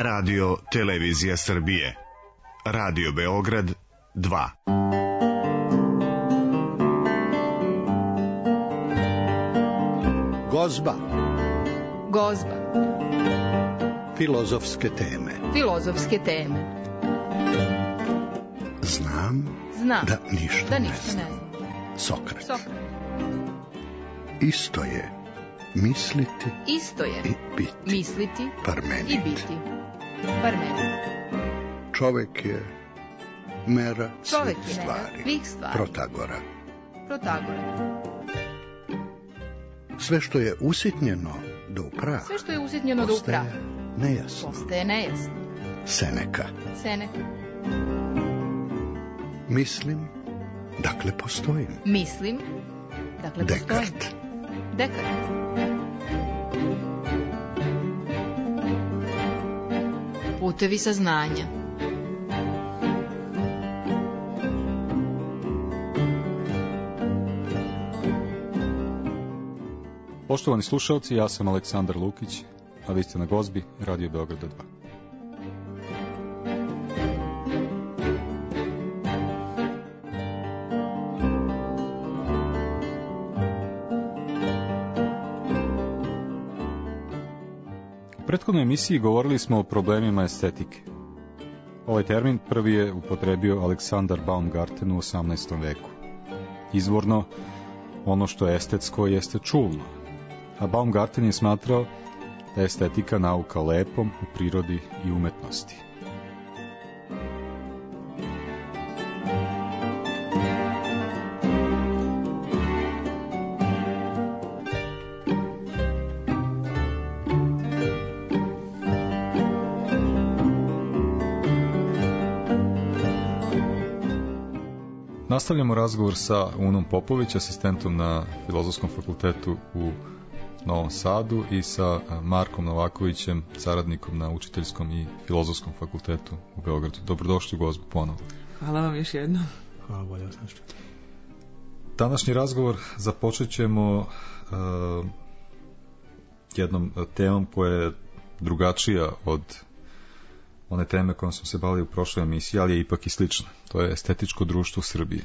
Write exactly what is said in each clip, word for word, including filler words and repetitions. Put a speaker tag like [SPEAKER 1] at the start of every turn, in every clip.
[SPEAKER 1] Radio Televizija Srbije. Radio Beograd dva.
[SPEAKER 2] Gozba.
[SPEAKER 3] Gozba.
[SPEAKER 2] Filozofske teme.
[SPEAKER 3] Filozofske teme.
[SPEAKER 2] Znam,
[SPEAKER 3] Znam
[SPEAKER 2] da ništa,
[SPEAKER 3] da
[SPEAKER 2] ne,
[SPEAKER 3] ništa
[SPEAKER 2] znam.
[SPEAKER 3] ne znam.
[SPEAKER 2] Sokrat.
[SPEAKER 3] Sokrat.
[SPEAKER 2] Isto je misliti
[SPEAKER 3] Isto je
[SPEAKER 2] i biti.
[SPEAKER 3] misliti
[SPEAKER 2] Parmenid.
[SPEAKER 3] i biti. Parmenid.
[SPEAKER 2] Čovek je mera
[SPEAKER 3] Čovek
[SPEAKER 2] svih
[SPEAKER 3] je
[SPEAKER 2] stvari.
[SPEAKER 3] mera svih stvari.
[SPEAKER 2] Protagora.
[SPEAKER 3] Protagora.
[SPEAKER 2] Sve što je usitnjeno do u prah,
[SPEAKER 3] Sve što je usitnjeno do u prah
[SPEAKER 2] postaje nejasno.
[SPEAKER 3] postaje nejasno.
[SPEAKER 2] Seneka.
[SPEAKER 3] Seneka.
[SPEAKER 2] Mislim, dakle postojim.
[SPEAKER 3] Mislim, dakle postojim.
[SPEAKER 2] Dekart.
[SPEAKER 3] Dekart. Putevi saznanja.
[SPEAKER 4] Poštovani slušalci, ja sam Aleksandar Lukić, a vi ste na Gozbi, Radio Beograda dva. U prethodnoj emisiji govorili smo o problemima estetike. Ovaj termin prvi je upotrebio Aleksandar Baumgarten u osamnaestom veku. Izvorno, ono što je estetsko jeste čulno, a Baumgarten je smatrao da je estetika nauka o lepom u prirodi i umetnosti. Nastavljamo razgovor sa Unom Popović, asistentom na Filozofskom fakultetu u Novom Sadu, i sa Markom Novakovićem, saradnikom na Učiteljskom i Filozofskom fakultetu u Beogradu. Dobrodošli u Gozbu ponovo.
[SPEAKER 5] Hvala vam još jednom.
[SPEAKER 6] Hvala, bolje sam što.
[SPEAKER 4] Današnji razgovor započet ćemo uh, jednom temom koja je drugačija od one teme kojom smo se bavili u prošloj emisiji, ali je ipak i slična. To je estetičko društvo Srbije.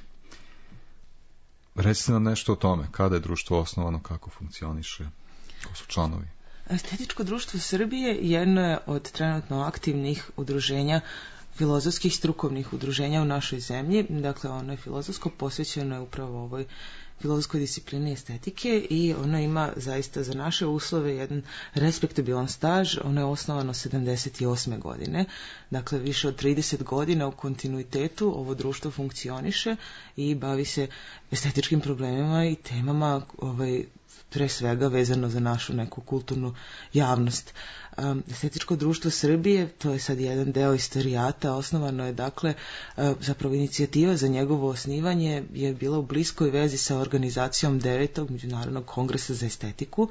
[SPEAKER 4] Recite nam nešto o tome. Kada je društvo osnovano, kako funkcioniše, ko su članovi?
[SPEAKER 5] Estetičko društvo Srbije jedno je od trenutno aktivnih udruženja, filozofskih strukovnih udruženja u našoj zemlji. Dakle, ono je filozofsko, posvećeno je upravo ovoj filozofskoj disciplini estetike i ono ima zaista za naše uslove jedan respektabilan staž. Ono je osnovano sedamdeset osme godine, dakle više od trideset godina u kontinuitetu ovo društvo funkcioniše i bavi se estetičkim problemima i temama ovaj, pre svega vezano za našu neku kulturnu javnost. Um, Estetičko društvo Srbije, to je sad jedan deo istorijata, osnovano je dakle, uh, zapravo inicijativa za njegovo osnivanje je bila u bliskoj vezi sa organizacijom devetog Međunarodnog kongresa za estetiku,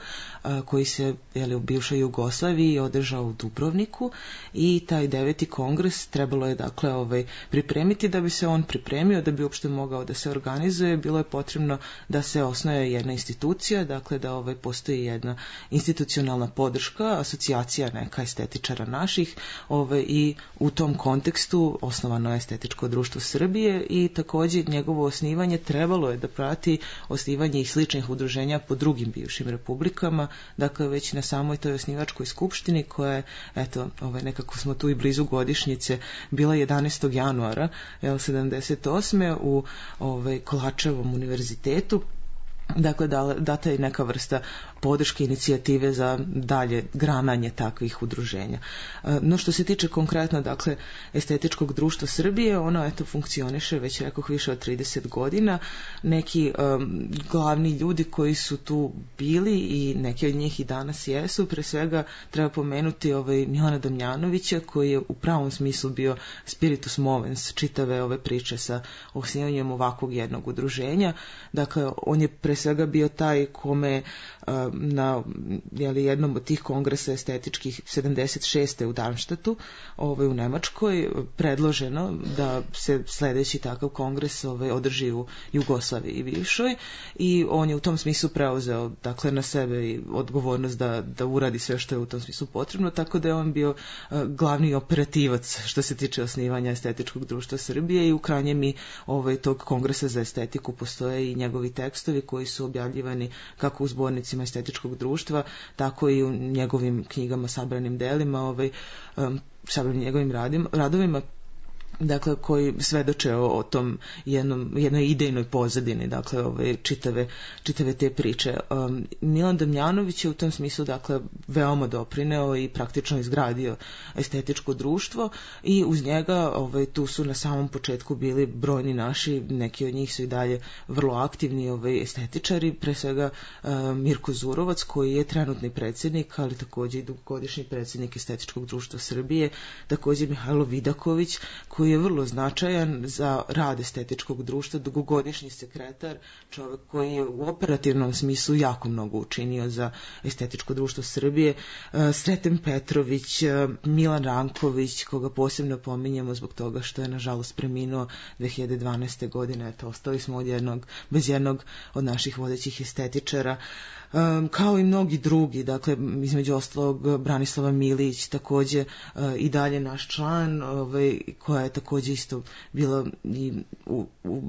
[SPEAKER 5] uh, koji se jeli, u bivšoj Jugoslaviji održao u Dubrovniku, i taj deveti kongres trebalo je dakle ovaj, pripremiti. Da bi se on pripremio, da bi uopšte mogao da se organizuje, bilo je potrebno da se osnuje jedna institucija, dakle da ovaj, postoji jedna institucionalna podrška, asocijacija neka estetičara naših, ove, i u tom kontekstu osnovano je Estetičko društvo Srbije i također njegovo osnivanje trebalo je da prati osnivanje i sličnih udruženja po drugim bivšim republikama, dakle već na samoj toj osnivačkoj skupštini koja je, eto, ove, nekako smo tu i blizu godišnjice, bila jedanaestog januara sedamdeset osme u ove, Kolačevom univerzitetu. Dakle, data je neka vrsta podrške inicijative za dalje grananje takvih udruženja. No što se tiče konkretno, dakle, Estetičkog društva Srbije, ono eto funkcioniše već rekoh više od trideset godina. Neki um, glavni ljudi koji su tu bili i neki od njih i danas jesu, pre svega treba pomenuti ovaj Milana Damjanovića, koji je u pravom smislu bio spiritus movens čitave ove priče sa osnivanjem ovakvog jednog udruženja. Dakle, on je pre svega bio taj kome na jeli, jednom od tih kongresa estetičkih sedamdeset šeste u Darmstadtu, ovaj, u Nemačkoj, predloženo da se sledeći takav kongres ovaj, održi u Jugoslaviji bivšoj, i on je u tom smislu preuzeo dakle na sebe i odgovornost da, da uradi sve što je u tom smislu potrebno, tako da je on bio uh, glavni operativac što se tiče osnivanja Estetičkog društva Srbije, i u krajnjem i ovaj, tog kongresa za estetiku postoje i njegovi tekstovi koji su objavljivani kako u zbornicima Estetičkog društva, tako i u njegovim knjigama, sabranim delima, ovaj, um, sabranim njegovim radim, radovima, dakle koji svedoče o, o tom jednom, jednoj idejnoj pozadini, dakle ove čitave, čitave te priče. Um, Milan Damjanović je u tom smislu dakle veoma doprineo i praktično izgradio Estetičko društvo, i uz njega ovaj, tu su na samom početku bili brojni naši, neki od njih su i dalje vrlo aktivni ovaj, estetičari, pre svega um, Mirko Zurovac koji je trenutni predsjednik, ali također i dugogodišnji predsjednik Estetičkog društva Srbije, također Mihajlo Vidaković koji je vrlo značajan za rad Estetičkog društva, dugogodišnji sekretar, čovjek koji je u operativnom smislu jako mnogo učinio za Estetičko društvo Srbije, Sreten Petrović, Milan Ranković, koga posebno pominjemo zbog toga što je nažalost preminuo dve hiljade dvanaeste. godine, eto, ostali smo od jednog, bez jednog od naših vodećih estetičara, Um, kao i mnogi drugi, dakle između ostalog Branislava Milić, također uh, i dalje naš član, ovaj, koja je također isto bila i u, u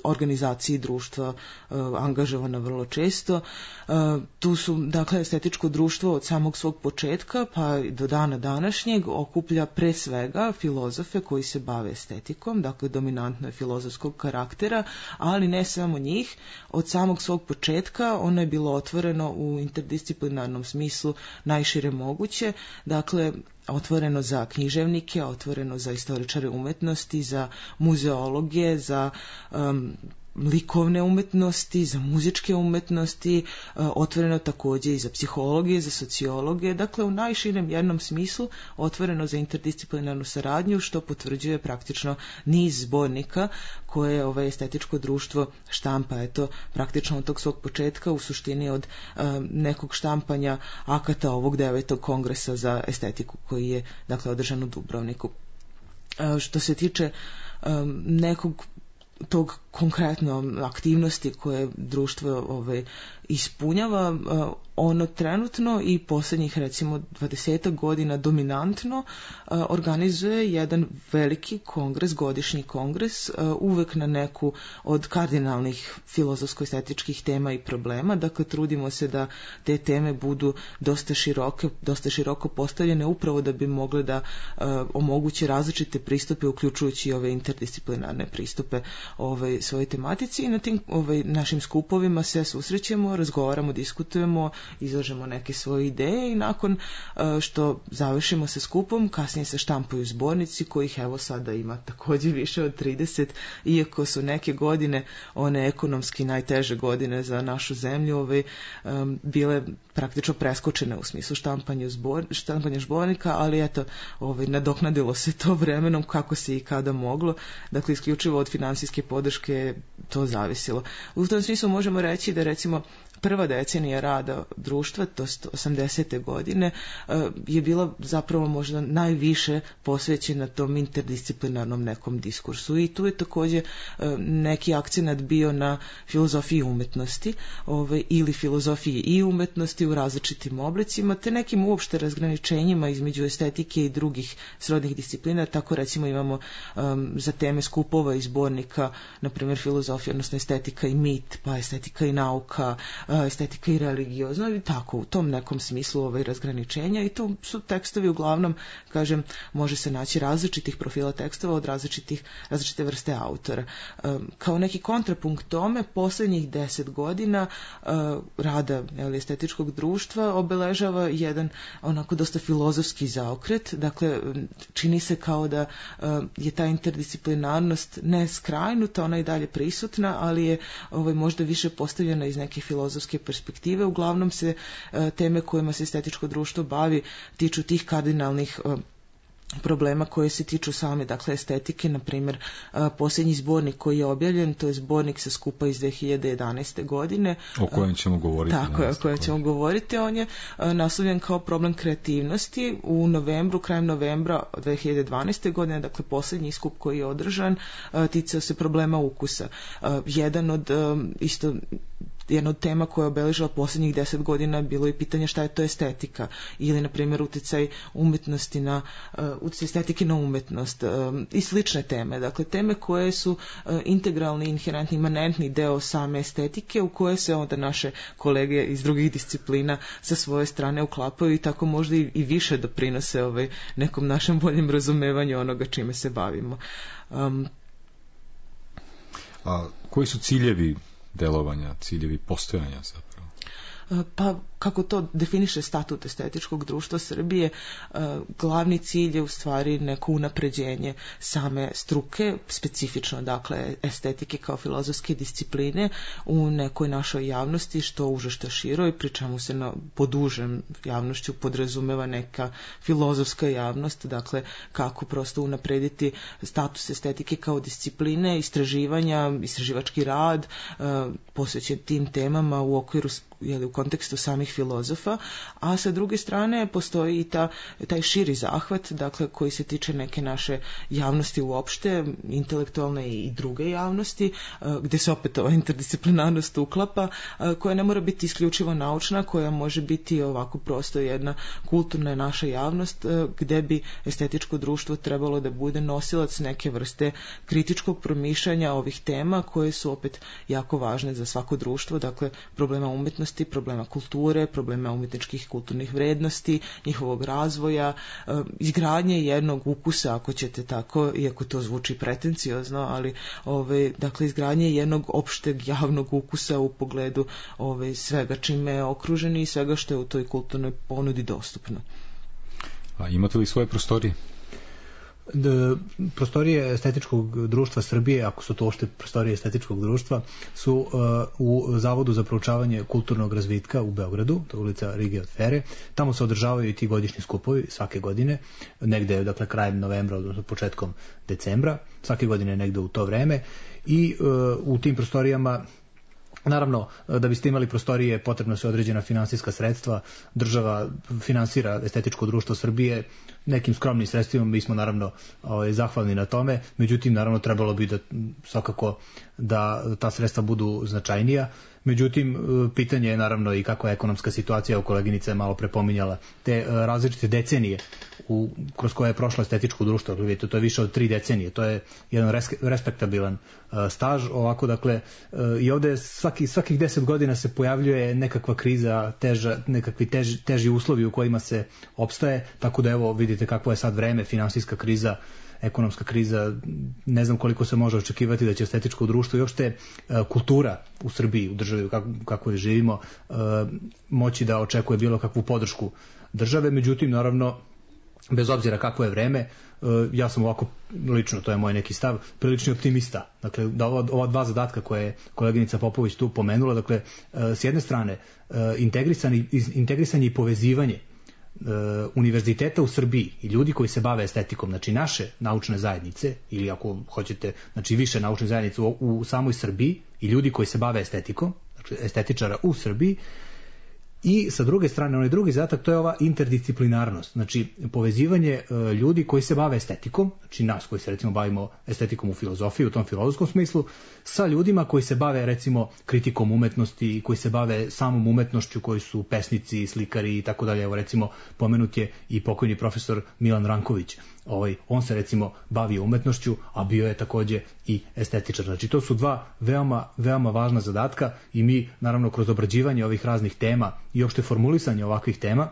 [SPEAKER 5] organizaciji društva uh, angažovana vrlo često. Uh, tu su, dakle, Estetičko društvo od samog svog početka pa do dana današnjeg okuplja pre svega filozofe koji se bave estetikom, dakle dominantno je filozofskog karaktera, ali ne samo njih. Od samog svog početka ono je bilo otvoreno u interdisciplinarnom smislu najšire moguće, dakle otvoreno za književnike, otvoreno za istoričare umetnosti, za muzeologe, za um, likovne umetnosti, za muzičke umetnosti, otvoreno također i za psihologije, za sociologe, dakle u najširem jednom smislu otvoreno za interdisciplinarnu saradnju, što potvrđuje praktično niz zbornika koje ovaj Estetičko društvo štampa, eto, praktično od tog svog početka, u suštini od um, nekog štampanja akata ovog devetog kongresa za estetiku koji je, dakle, održan u Dubrovniku. Uh, što se tiče um, nekog tog konkretno aktivnosti koje društvo ovaj, ispunjava, ono trenutno i posljednjih recimo dvadesetak godina dominantno organizuje jedan veliki kongres, godišnji kongres, uvek na neku od kardinalnih filozofsko-estetičkih tema i problema, dakle trudimo se da te teme budu dosta široke, dosta široko postavljene, upravo da bi mogle da omoguće različite pristupe, uključujući i ove interdisciplinarne pristupe ovaj, svojoj tematici, i na tim ovaj, našim skupovima se susrećemo, razgovaramo, diskutujemo, izlažemo neke svoje ideje, i nakon što završimo sa skupom, kasnije se štampaju zbornici kojih evo sada ima također više od trideset, iako su neke godine, one ekonomski najteže godine za našu zemlju, ovaj, um, bile praktično preskočene u smislu štampanja, zbor, štampanja zbornika, ali eto, ovaj, nadoknadilo se to vremenom kako se i kada moglo, dakle isključivo od finansijske podrške to zavisilo. U tom smislu možemo reći da recimo prva decenija rada društva, to jest osamdesete godine, je bila zapravo možda najviše posvećena tom interdisciplinarnom nekom diskursu, i tu je također neki akcenat bio na filozofiji umetnosti, ovaj, ili filozofiji i umetnosti u različitim oblicima, te nekim uopšte razgraničenjima između estetike i drugih srodnih disciplina. Tako recimo imamo um, za teme skupova i zbornika, na primjer filozofija, odnosno estetika i mit, pa estetika i nauka, estetika i religiozno, i tako u tom nekom smislu ovaj razgraničenja, i tu su tekstovi uglavnom, kažem, može se naći različitih profila tekstova od različitih, različite vrste autora. Um, kao neki kontrapunkt tome, posljednjih deset godina uh, rada jel, Estetičkog društva obeležava jedan onako dosta filozofski zaokret, dakle čini se kao da uh, je ta interdisciplinarnost ne skrajnuta, ona je dalje prisutna, ali je ovaj, možda više postavljena iz neke filozofske perspektive. Uglavnom se uh, teme kojima se Estetičko društvo bavi tiču tih kardinalnih uh, problema koje se tiču same, dakle, estetike. Na primjer, posljednji zbornik koji je objavljen, to je zbornik sa skupa iz dve hiljade jedanaeste. godine.
[SPEAKER 4] O kojem ćemo govoriti.
[SPEAKER 5] Tako je, o kojem ćemo govoriti. On je naslovljen kao problem kreativnosti. U novembru, krajem novembra dve hiljade dvanaeste. godine, dakle, posljednji skup koji je održan, ticao se problema ukusa. Jedan od, isto, jedna od tema koja je obeležila posljednjih deset godina bilo je pitanje šta je to estetika ili, na primjer, utjecaj umjetnosti na uh, utjecaj estetike na umjetnost um, i slične teme. Dakle, teme koje su uh, integralni, inherentni, imanentni deo same estetike u koje se onda naše kolege iz drugih disciplina sa svoje strane uklapaju i tako možda i, i više doprinose ovaj, nekom našem boljem razumevanju onoga čime se bavimo. Um,
[SPEAKER 4] A koji su ciljevi delovanja, ciljevi postojanja zapravo?
[SPEAKER 5] Pa, kako to definiše statut Estetičkog društva Srbije, glavni cilj je u stvari neko unapređenje same struke, specifično, dakle, estetike kao filozofske discipline u nekoj našoj javnosti, što uže što široj, pri čemu se na podužem javnošću podrazumeva neka filozofska javnost, dakle, kako prosto unaprediti status estetike kao discipline, istraživanja, istraživački rad, posvećen tim temama u okviru, jeli, u kontekstu samih filozofa, a sa druge strane postoji i ta, taj širi zahvat, dakle, koji se tiče neke naše javnosti uopšte, intelektualne i druge javnosti, gdje se opet ova interdisciplinarnost uklapa, koja ne mora biti isključivo naučna, koja može biti ovako prosto jedna kulturna naša javnost, gdje bi estetičko društvo trebalo da bude nosilac neke vrste kritičkog promišljanja ovih tema koje su opet jako važne za svako društvo, dakle, problema umjetnosti, problema kulture, problema umjetničkih kulturnih vrednosti, njihovog razvoja, izgradnje jednog ukusa, ako ćete tako, iako to zvuči pretenciozno, ali ove, dakle, izgradnje jednog opšteg javnog ukusa u pogledu ove, svega čime je okružen i svega što je u toj kulturnoj ponudi dostupno.
[SPEAKER 4] A imate li svoje prostorije?
[SPEAKER 6] D, prostorije Estetičkog društva Srbije, ako su to uopšte prostorije Estetičkog društva, su uh, u Zavodu za proučavanje kulturnog razvitka u Beogradu, to je ulica Rige od Fere. Tamo se održavaju i ti godišnji skupovi svake godine, negde, dakle, krajem novembra, odnosno početkom decembra, svake godine negde u to vreme, i uh, u tim prostorijama, naravno, da biste imali prostorije potrebno se određena finansijska sredstva. Država finansira Estetičko društvo Srbije nekim skromnim sredstvima, mi smo naravno ovaj, zahvalni na tome, međutim, naravno, trebalo bi da svakako da ta sredstva budu značajnija. Međutim, pitanje je naravno i kakva je ekonomska situacija, u koleginica je malo prepominjala te različite decenije u, kroz koje je prošlo Estetičko društvo. Vidite, to je više od tri decenije, to je jedan res, respektabilan uh, staž. Ovako, dakle, uh, i ovde svaki, svakih deset godina se pojavljuje nekakva kriza, teža, nekakvi teži, teži uslovi u kojima se opstaje, tako da evo vidite kakvo je sad vreme, finansijska kriza, ekonomska kriza, ne znam koliko se može očekivati da će Estetičko društvo i uopšte kultura u Srbiji, u državi kako, kako je živimo, moći da očekuje bilo kakvu podršku države. Međutim, naravno, bez obzira kakvo je vreme, ja sam ovako lično, to je moj neki stav, prilični optimista. Dakle, da ova, ova dva zadatka koje je koleginica Popović tu pomenula, dakle, s jedne strane integrisanje, integrisanje i povezivanje univerziteta u Srbiji i ljudi koji se bave estetikom, znači naše naučne zajednice, ili ako hoćete, znači više naučne zajednice u, u samoj Srbiji i ljudi koji se bave estetikom, znači estetičara u Srbiji, i sa druge strane, onaj drugi zadatak, to je ova interdisciplinarnost, znači povezivanje e, ljudi koji se bave estetikom, znači nas koji se recimo bavimo estetikom u filozofiji, u tom filozofskom smislu, sa ljudima koji se bave recimo kritikom umetnosti, koji se bave samom umetnošću, koji su pesnici, slikari i tako dalje. Evo recimo pomenut je i pokojni profesor Milan Ranković. Ovaj, on se recimo bavio umetnošću, a bio je takođe i estetičar. Znači to su dva veoma, veoma važna zadatka i mi naravno kroz obrađivanje ovih raznih tema i uopšte formulisanje ovakvih tema,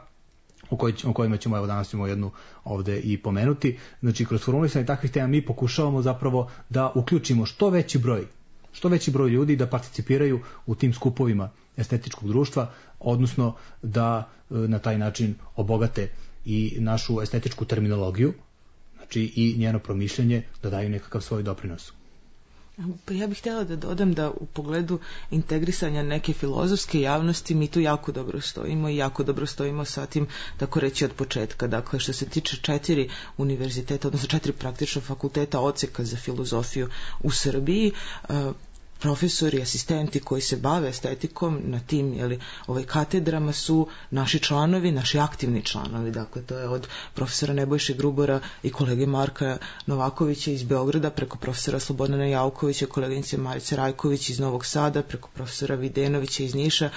[SPEAKER 6] o, koj, o kojima ćemo evo danas ćemo jednu ovde i pomenuti, znači kroz formulisanje takvih tema mi pokušavamo zapravo da uključimo što veći broj što veći broj ljudi da participiraju u tim skupovima Estetičkog društva, odnosno da na taj način obogate i našu estetičku terminologiju, znači i njeno promišljanje, da daju nekakav svoj doprinos.
[SPEAKER 5] Pa ja bih htjela da dodam da u pogledu integrisanja neke filozofske javnosti mi tu jako dobro stojimo i jako dobro stojimo sa tim, tako reći, od početka. Dakle, što se tiče četiri univerziteta, odnosno četiri praktično fakulteta odseka za filozofiju u Srbiji, profesori i asistenti koji se bave estetikom na tim jeli, ovaj, katedrama su naši članovi, naši aktivni članovi. Dakle, to je od profesora Nebojše Grubora i kolege Marka Novakovića iz Beograda, preko profesora Slobodana Jaukovića, koleginice Marice Rajković iz Novog Sada, preko profesora Videnovića iz Niša,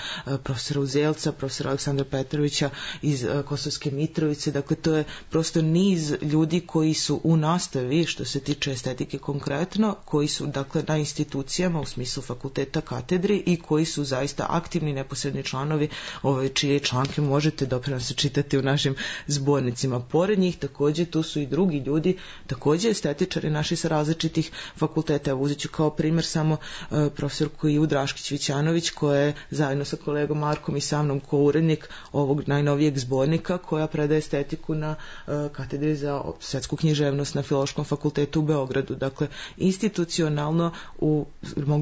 [SPEAKER 5] profesora Uzelca, profesora Aleksandra Petrovića iz Kosovske Mitrovice. Dakle, to je prosto niz ljudi koji su u nastavi, što se tiče estetike konkretno, koji su, dakle, na institucijama u smislu fakulteta, katedri i koji su zaista aktivni neposredni članovi, ove čije članke možete dopravo se čitati u našim zbornicima. Pored njih također tu su i drugi ljudi, također estetičari naši sa različitih fakulteta. Evo, uzet ću kao primjer samo uh, profesorku Ivu Draškić-Vićanović, koja je zajedno sa kolegom Markom i sa mnom ko-urednik ovog najnovijeg zbornika, koja predaje estetiku na uh, katedri za svetsku književnost na Filološkom fakultetu u Beogradu. Dakle, institucionalno u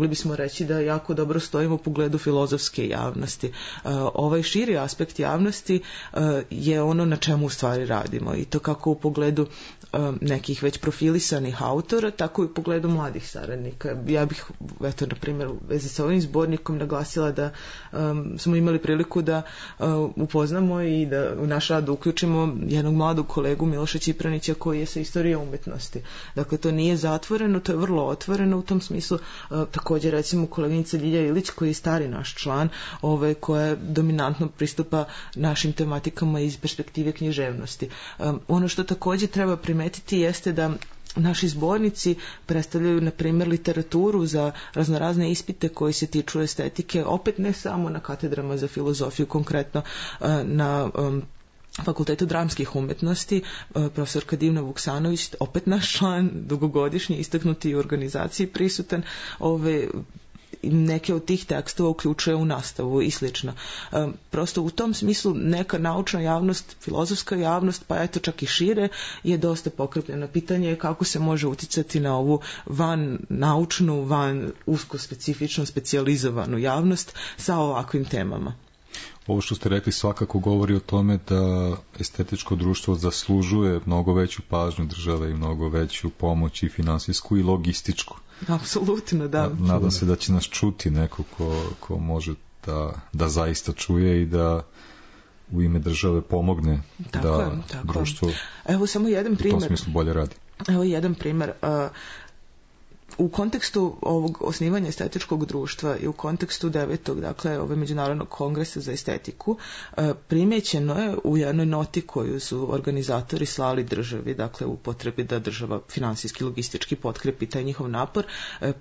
[SPEAKER 5] mogli bismo reći da jako dobro stojimo u pogledu filozofske javnosti. Uh, ovaj širi aspekt javnosti uh, je ono na čemu u stvari radimo, i to kako u pogledu um, nekih već profilisanih autora, tako i u pogledu mladih saradnika. Ja bih, eto, na primjer, u vezi sa ovim zbornikom naglasila da um, smo imali priliku da uh, upoznamo i da u naš rad uključimo jednog mladog kolegu Miloša Čipranića, koji je sa istorije umetnosti. Dakle, to nije zatvoreno, to je vrlo otvoreno u tom smislu. Uh, također, recimo, koleginica Ljilja Ilić, koji je stari naš član, ovaj, koja dominantno pristupa našim tematikama iz perspektive književnosti. Um, ono što također treba primetiti jeste da naši zbornici predstavljaju, na primjer, literaturu za raznorazne ispite koji se tiču estetike, opet ne samo na katedrama za filozofiju, konkretno uh, na um, Fakultetu dramskih umetnosti, profesorka Divna Vuksanović, opet naš član, dugogodišnji, istaknuti u organizaciji prisutan, ove neke od tih tekstova uključuje u nastavu i slično. Prosto u tom smislu neka naučna javnost, filozofska javnost, pa eto čak i šire, je dosta pokrepljena. Pitanje je kako se može uticati na ovu van naučnu, van usko specifično specijalizovanu javnost sa ovakvim temama.
[SPEAKER 4] Ovo što ste rekli svakako govori o tome da estetičko društvo zaslužuje mnogo veću pažnju države i mnogo veću pomoć i finansijsku i logističku.
[SPEAKER 5] Apsolutno, da.
[SPEAKER 4] Nadam se da će nas čuti neko ko, ko može da, da zaista čuje i da u ime države pomogne tako da je, tako. društvo
[SPEAKER 5] Evo samo jedan primjer.
[SPEAKER 4] U tom smislu bolje radi.
[SPEAKER 5] Evo jedan primjer. Uh, U kontekstu ovog osnivanja estetičkog društva i u kontekstu devetog, dakle, ove Međunarodnog kongresa za estetiku, primjećeno je u jednoj noti koju su organizatori slali državi, dakle, u potrebi da država finansijski, logistički potkrepi taj njihov napor,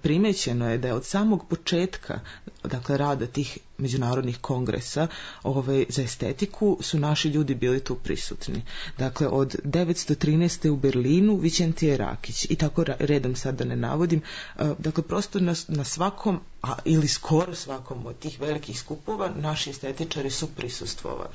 [SPEAKER 5] primjećeno je da je od samog početka, dakle, rada tih međunarodnih kongresa ovaj, za estetiku su naši ljudi bili tu prisutni. Dakle, od devetsto trinaeste u Berlinu Vićentije Rakić i tako redom sad da ne navodim. Dakle, prosto na, na svakom, a, ili skoro svakom od tih velikih skupova naši estetičari su prisustvovali.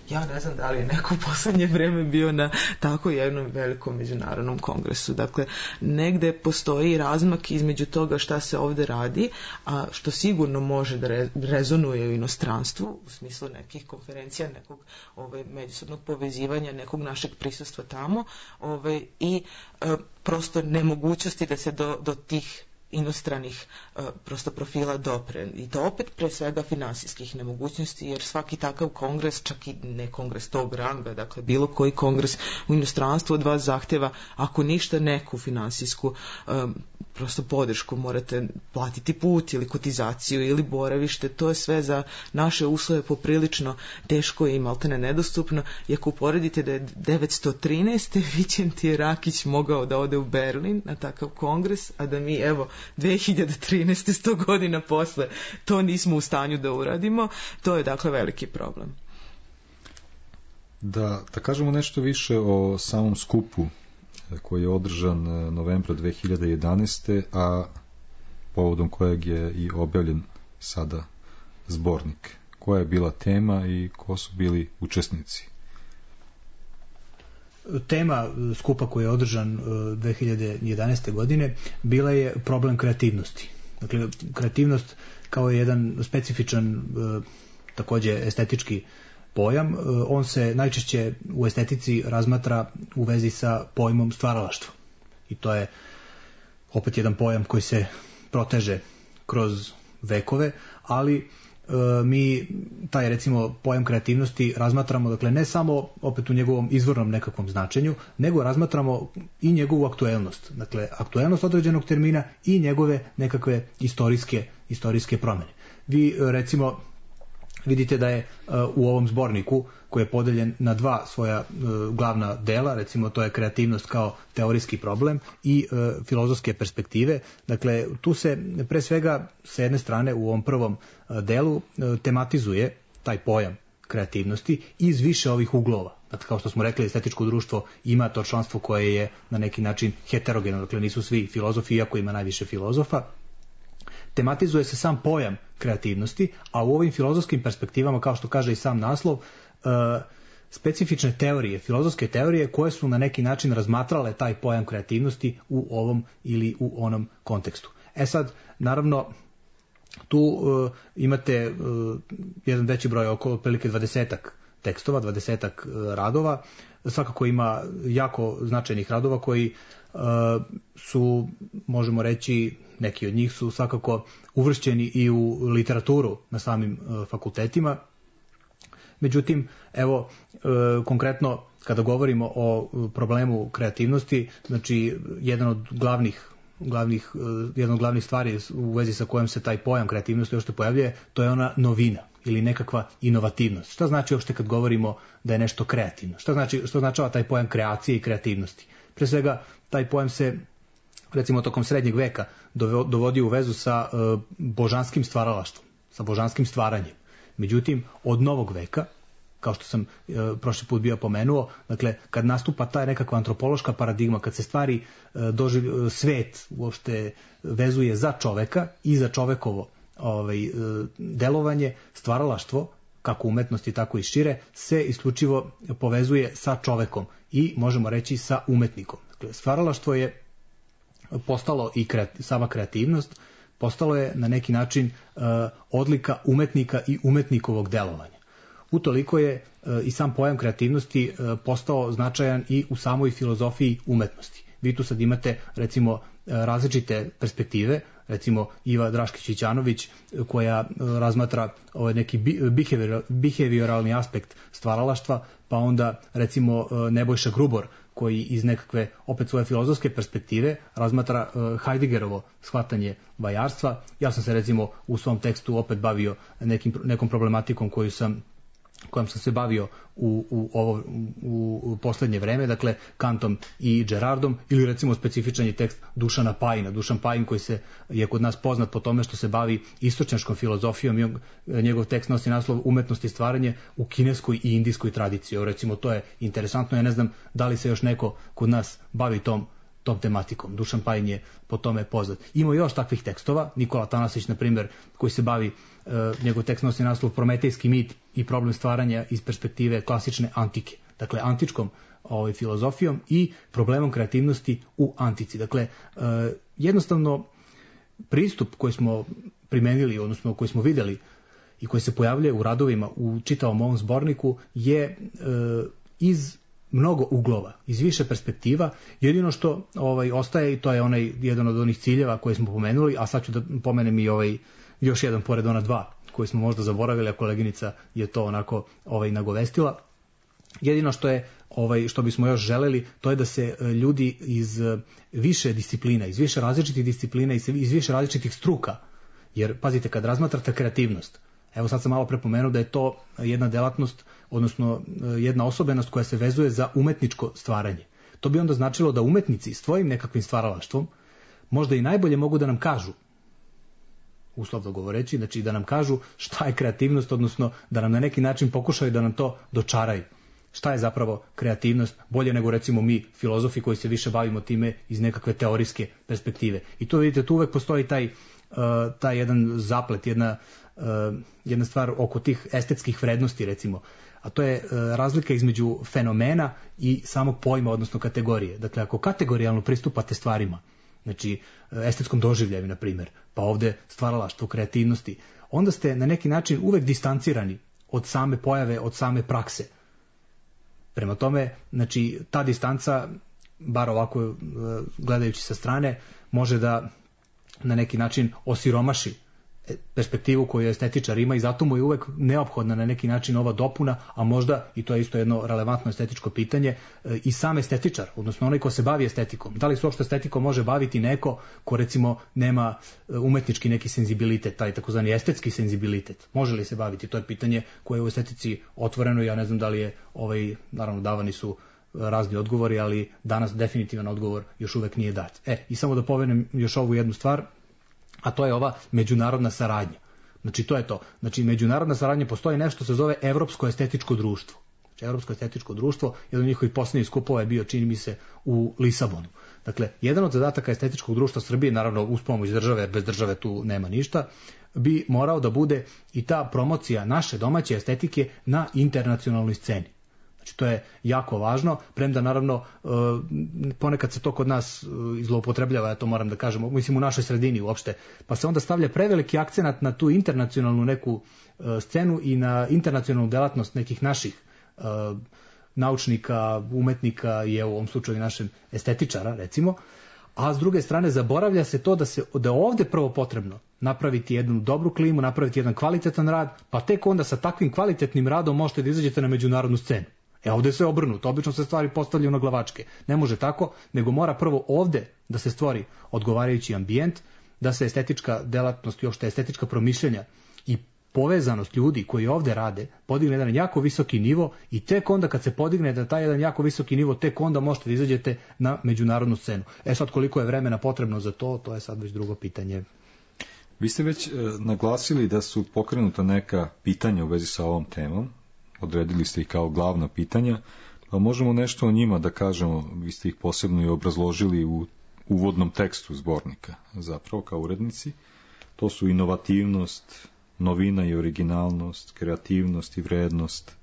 [SPEAKER 5] Ja ne znam da li je neko u poslednje vreme bio na tako jednom velikom međunarodnom kongresu. Dakle, negde postoji razmak između toga šta se ovde radi, a što sigurno može da re, rezonuje u inostranstvu, u smislu nekih konferencija, nekog ovaj, međusobnog povezivanja, nekog našeg prisustva tamo, ovaj, i e, prosto nemogućnosti da se do, do tih inostranih uh, prosto profila dopre. I to opet pre svega finansijskih nemogućnosti, jer svaki takav kongres, čak i ne kongres tog ranga, dakle bilo koji kongres u inostranstvu od vas zahtjeva, ako ništa, neku finansijsku um, prosto podršku, morate platiti put ili kotizaciju ili boravište, to je sve za naše uslove poprilično teško i maltene nedostupno. I ako uporedite da je devetsto trinaeste Vićentije Rakić mogao da ode u Berlin na takav kongres, a da mi, evo, dve hiljade trinaeste sto godina posle to nismo u stanju da uradimo, to je dakle veliki problem.
[SPEAKER 4] Da, da kažemo nešto više o samom skupu koji je održan novembra dve hiljade jedanaeste. a povodom kojeg je i objavljen sada zbornik. Koja je bila tema i ko su bili učesnici?
[SPEAKER 6] tema skupa koji je održan dve hiljade jedanaeste. godine bila je problem kreativnosti. Dakle, kreativnost kao jedan specifičan, takođe estetički pojam, on se najčešće u estetici razmatra u vezi sa pojmom stvaralaštva. I to je opet jedan pojam koji se proteže kroz vekove, ali e, mi taj recimo pojam kreativnosti razmatramo, dakle ne samo opet u njegovom izvornom nekakvom značenju, nego razmatramo i njegovu aktuelnost. Dakle, aktuelnost određenog termina i njegove nekakve istorijske, istorijske promjene. Vi recimo vidite da je uh, u ovom zborniku, koji je podeljen na dva svoja uh, glavna dela, recimo to je kreativnost kao teorijski problem i uh, filozofske perspektive. Dakle, tu se pre svega sa jedne strane u ovom prvom uh, delu uh, tematizuje taj pojam kreativnosti iz više ovih uglova. Dakle, kao što smo rekli, estetičko društvo ima to članstvo koje je na neki način heterogeno, dakle nisu svi filozofi, iako ima najviše filozofa. Tematizuje se sam pojam kreativnosti, a u ovim filozofskim perspektivama, kao što kaže i sam naslov, specifične teorije, filozofske teorije koje su na neki način razmatrale taj pojam kreativnosti u ovom ili u onom kontekstu. E sad, naravno, tu uh, imate uh, jedan veći broj, oko otprilike dvadesetak tekstova, dvadesetak uh, radova. Svakako ima jako značajnih radova koji uh, su, možemo reći, neki od njih su svakako uvršćeni i u literaturu na samim uh, fakultetima. Međutim, evo, uh, konkretno kada govorimo o problemu kreativnosti, znači jedan od glavnih glavnih, jedna od glavnih stvari u vezi sa kojom se taj pojam kreativnosti uopšte pojavljuje, to je ona novina ili nekakva inovativnost. Šta znači uopšte kad govorimo da je nešto kreativno? Šta znači, što značava taj pojam kreacije i kreativnosti? Pre svega, taj pojam se, recimo, tokom srednjeg veka dovodi u vezu sa uh, božanskim stvaralaštvom, sa božanskim stvaranjem. Međutim, od novog veka, kao što sam e, prošli put bio pomenuo, dakle, kad nastupa ta nekakva antropološka paradigma, kad se stvari e, doživ, svet uopšte vezuje za čoveka i za čovekovo ovaj, e, delovanje, stvaralaštvo, kako umetnosti, tako i šire, se isključivo povezuje sa čovekom i, možemo reći, sa umetnikom. Dakle, stvaralaštvo je postalo i kreat, sama kreativnost, postalo je na neki način e, odlika umetnika i umetnikovog delovanja. Utoliko je e, i sam pojam kreativnosti e, postao značajan i u samoj filozofiji umetnosti. Vi tu sad imate, recimo, e, različite perspektive, recimo Iva Draškić-Ćanović koja e, razmatra ovaj neki behavior, behavioralni aspekt stvaralaštva, pa onda recimo e, Nebojša Grubor koji iz nekakve opet svoje filozofske perspektive razmatra e, Heideggerovo shvatanje vajarstva. Ja sam se recimo u svom tekstu opet bavio nekim, nekom problematikom koju sam kojom sam se bavio u, u, ovo, u, u poslednje vreme, dakle Kantom i Gerardom, ili recimo specifičan je tekst Dušana Pajina. Dušan Pajin koji se je kod nas poznat po tome što se bavi istočnjačkom filozofijom i njegov tekst nosi naslov Umetnost i stvaranje u kineskoj i indijskoj tradiciji. Recimo, to je interesantno, ja ne znam da li se još neko kod nas bavi tom tom tematikom. Dušan Pajin je po tome poznat. Ima još takvih tekstova, Nikola Tanasić, na primjer, koji se bavi, e, njegov tekst nosi naslov Prometejski mit i problem stvaranja iz perspektive klasične antike. Dakle, antičkom ovaj, filozofijom i problemom kreativnosti u antici. Dakle, e, jednostavno, pristup koji smo primenili, odnosno koji smo videli i koji se pojavljuje u radovima u čitavom ovom zborniku je e, iz mnogo uglova, iz više perspektiva. Jedino što ovaj ostaje, i to je onaj jedan od onih ciljeva koje smo pomenuli, a sad ću da pomenem i ovaj još jedan pored ona dva koji smo možda zaboravili, a koleginica je to onako ovaj nagovestila. Jedino što je ovaj što bismo još želeli, to je da se ljudi iz više disciplina, iz više različitih disciplina, iz više različitih struka, jer pazite, kad razmatrate kreativnost, evo sad sam malo prepomenuo da je to jedna delatnost, odnosno jedna osobenost koja se vezuje za umetničko stvaranje. To bi onda značilo da umetnici svojim nekakvim stvaralaštvom možda i najbolje mogu da nam kažu, uslovno govoreći, znači da nam kažu šta je kreativnost, odnosno da nam na neki način pokušaju da nam to dočaraju. Šta je zapravo kreativnost, bolje nego recimo mi filozofi koji se više bavimo time iz nekakve teorijske perspektive. I tu vidite, tu uvek postoji taj, uh, taj jedan zaplet, jedna, uh, jedna stvar oko tih estetskih vrednosti, recimo. a to je e, razlika između fenomena i samog pojma, odnosno kategorije. Dakle, ako kategorijalno pristupate stvarima, znači estetskom doživljaju, na primjer, pa ovde stvaralaštvo, kreativnosti, onda ste na neki način uvek distancirani od same pojave, od same prakse. Prema tome, znači, ta distanca, bar ovako gledajući sa strane, može da na neki način osiromaši perspektivu koju estetičar ima i zato mu je uvek neophodna na neki način ova dopuna, a možda, i to je isto jedno relevantno estetičko pitanje, i sam estetičar, odnosno onaj ko se bavi estetikom. Da li se uopšte estetikom može baviti neko ko recimo nema umetnički neki senzibilitet, taj takozvani estetski senzibilitet? Može li se baviti? To je pitanje koje je u estetici otvoreno. Ja ne znam da li je, ovaj, naravno davani su razni odgovori, ali danas definitivan odgovor još uvek nije dat. E, i samo da pomenem još ovu jednu stvar, a to je ova međunarodna saradnja. Znači, to je to. Znači, međunarodna saradnja, postoji nešto se zove Evropsko estetičko društvo. Znači, Evropsko estetičko društvo, jedan od njihovih poslednjih skupova je bio, čini mi se, u Lisabonu. Dakle, jedan od zadataka estetičkog društva Srbije, naravno uz pomoć države, bez države tu nema ništa, bi morao da bude i ta promocija naše domaće estetike na internacionalnoj sceni. Znači, to je jako važno, premda naravno ponekad se to kod nas zloupotrebljava, ja to moram da kažem, mislim u našoj sredini uopšte, pa se onda stavlja preveliki akcenat na tu internacionalnu neku scenu i na internacionalnu delatnost nekih naših naučnika, umetnika i u ovom slučaju našem estetičara, recimo, a s druge strane zaboravlja se to da se da ovde prvo potrebno napraviti jednu dobru klimu, napraviti jedan kvalitetan rad, pa tek onda sa takvim kvalitetnim radom možete da izađete na međunarodnu scenu. E ovde se obrnuto, obično se stvari postavljaju na glavačke. Ne može tako, nego mora prvo ovde da se stvori odgovarajući ambijent, da se estetička delatnost i uopšte estetička promišljenja i povezanost ljudi koji ovde rade podigne jedan jako visoki nivo i tek onda kad se podigne da taj jedan jako visoki nivo, tek onda možete da izađete na međunarodnu scenu. E sad koliko je vremena potrebno za to, to je sad već drugo pitanje.
[SPEAKER 4] Vi ste već e, naglasili da su pokrenuta neka pitanja u vezi sa ovom temom, odredili ste ih kao glavna pitanja, pa možemo nešto o njima da kažemo, vi ste ih posebno i obrazložili u uvodnom tekstu zbornika, zapravo kao urednici. To su inovativnost, novina i originalnost, kreativnost i vrednost,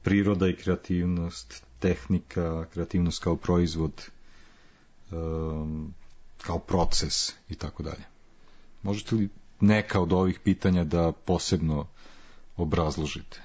[SPEAKER 4] priroda i kreativnost, tehnika, kreativnost kao proizvod, um, kao proces i tako dalje. Možete li neka od ovih pitanja da posebno obrazložite?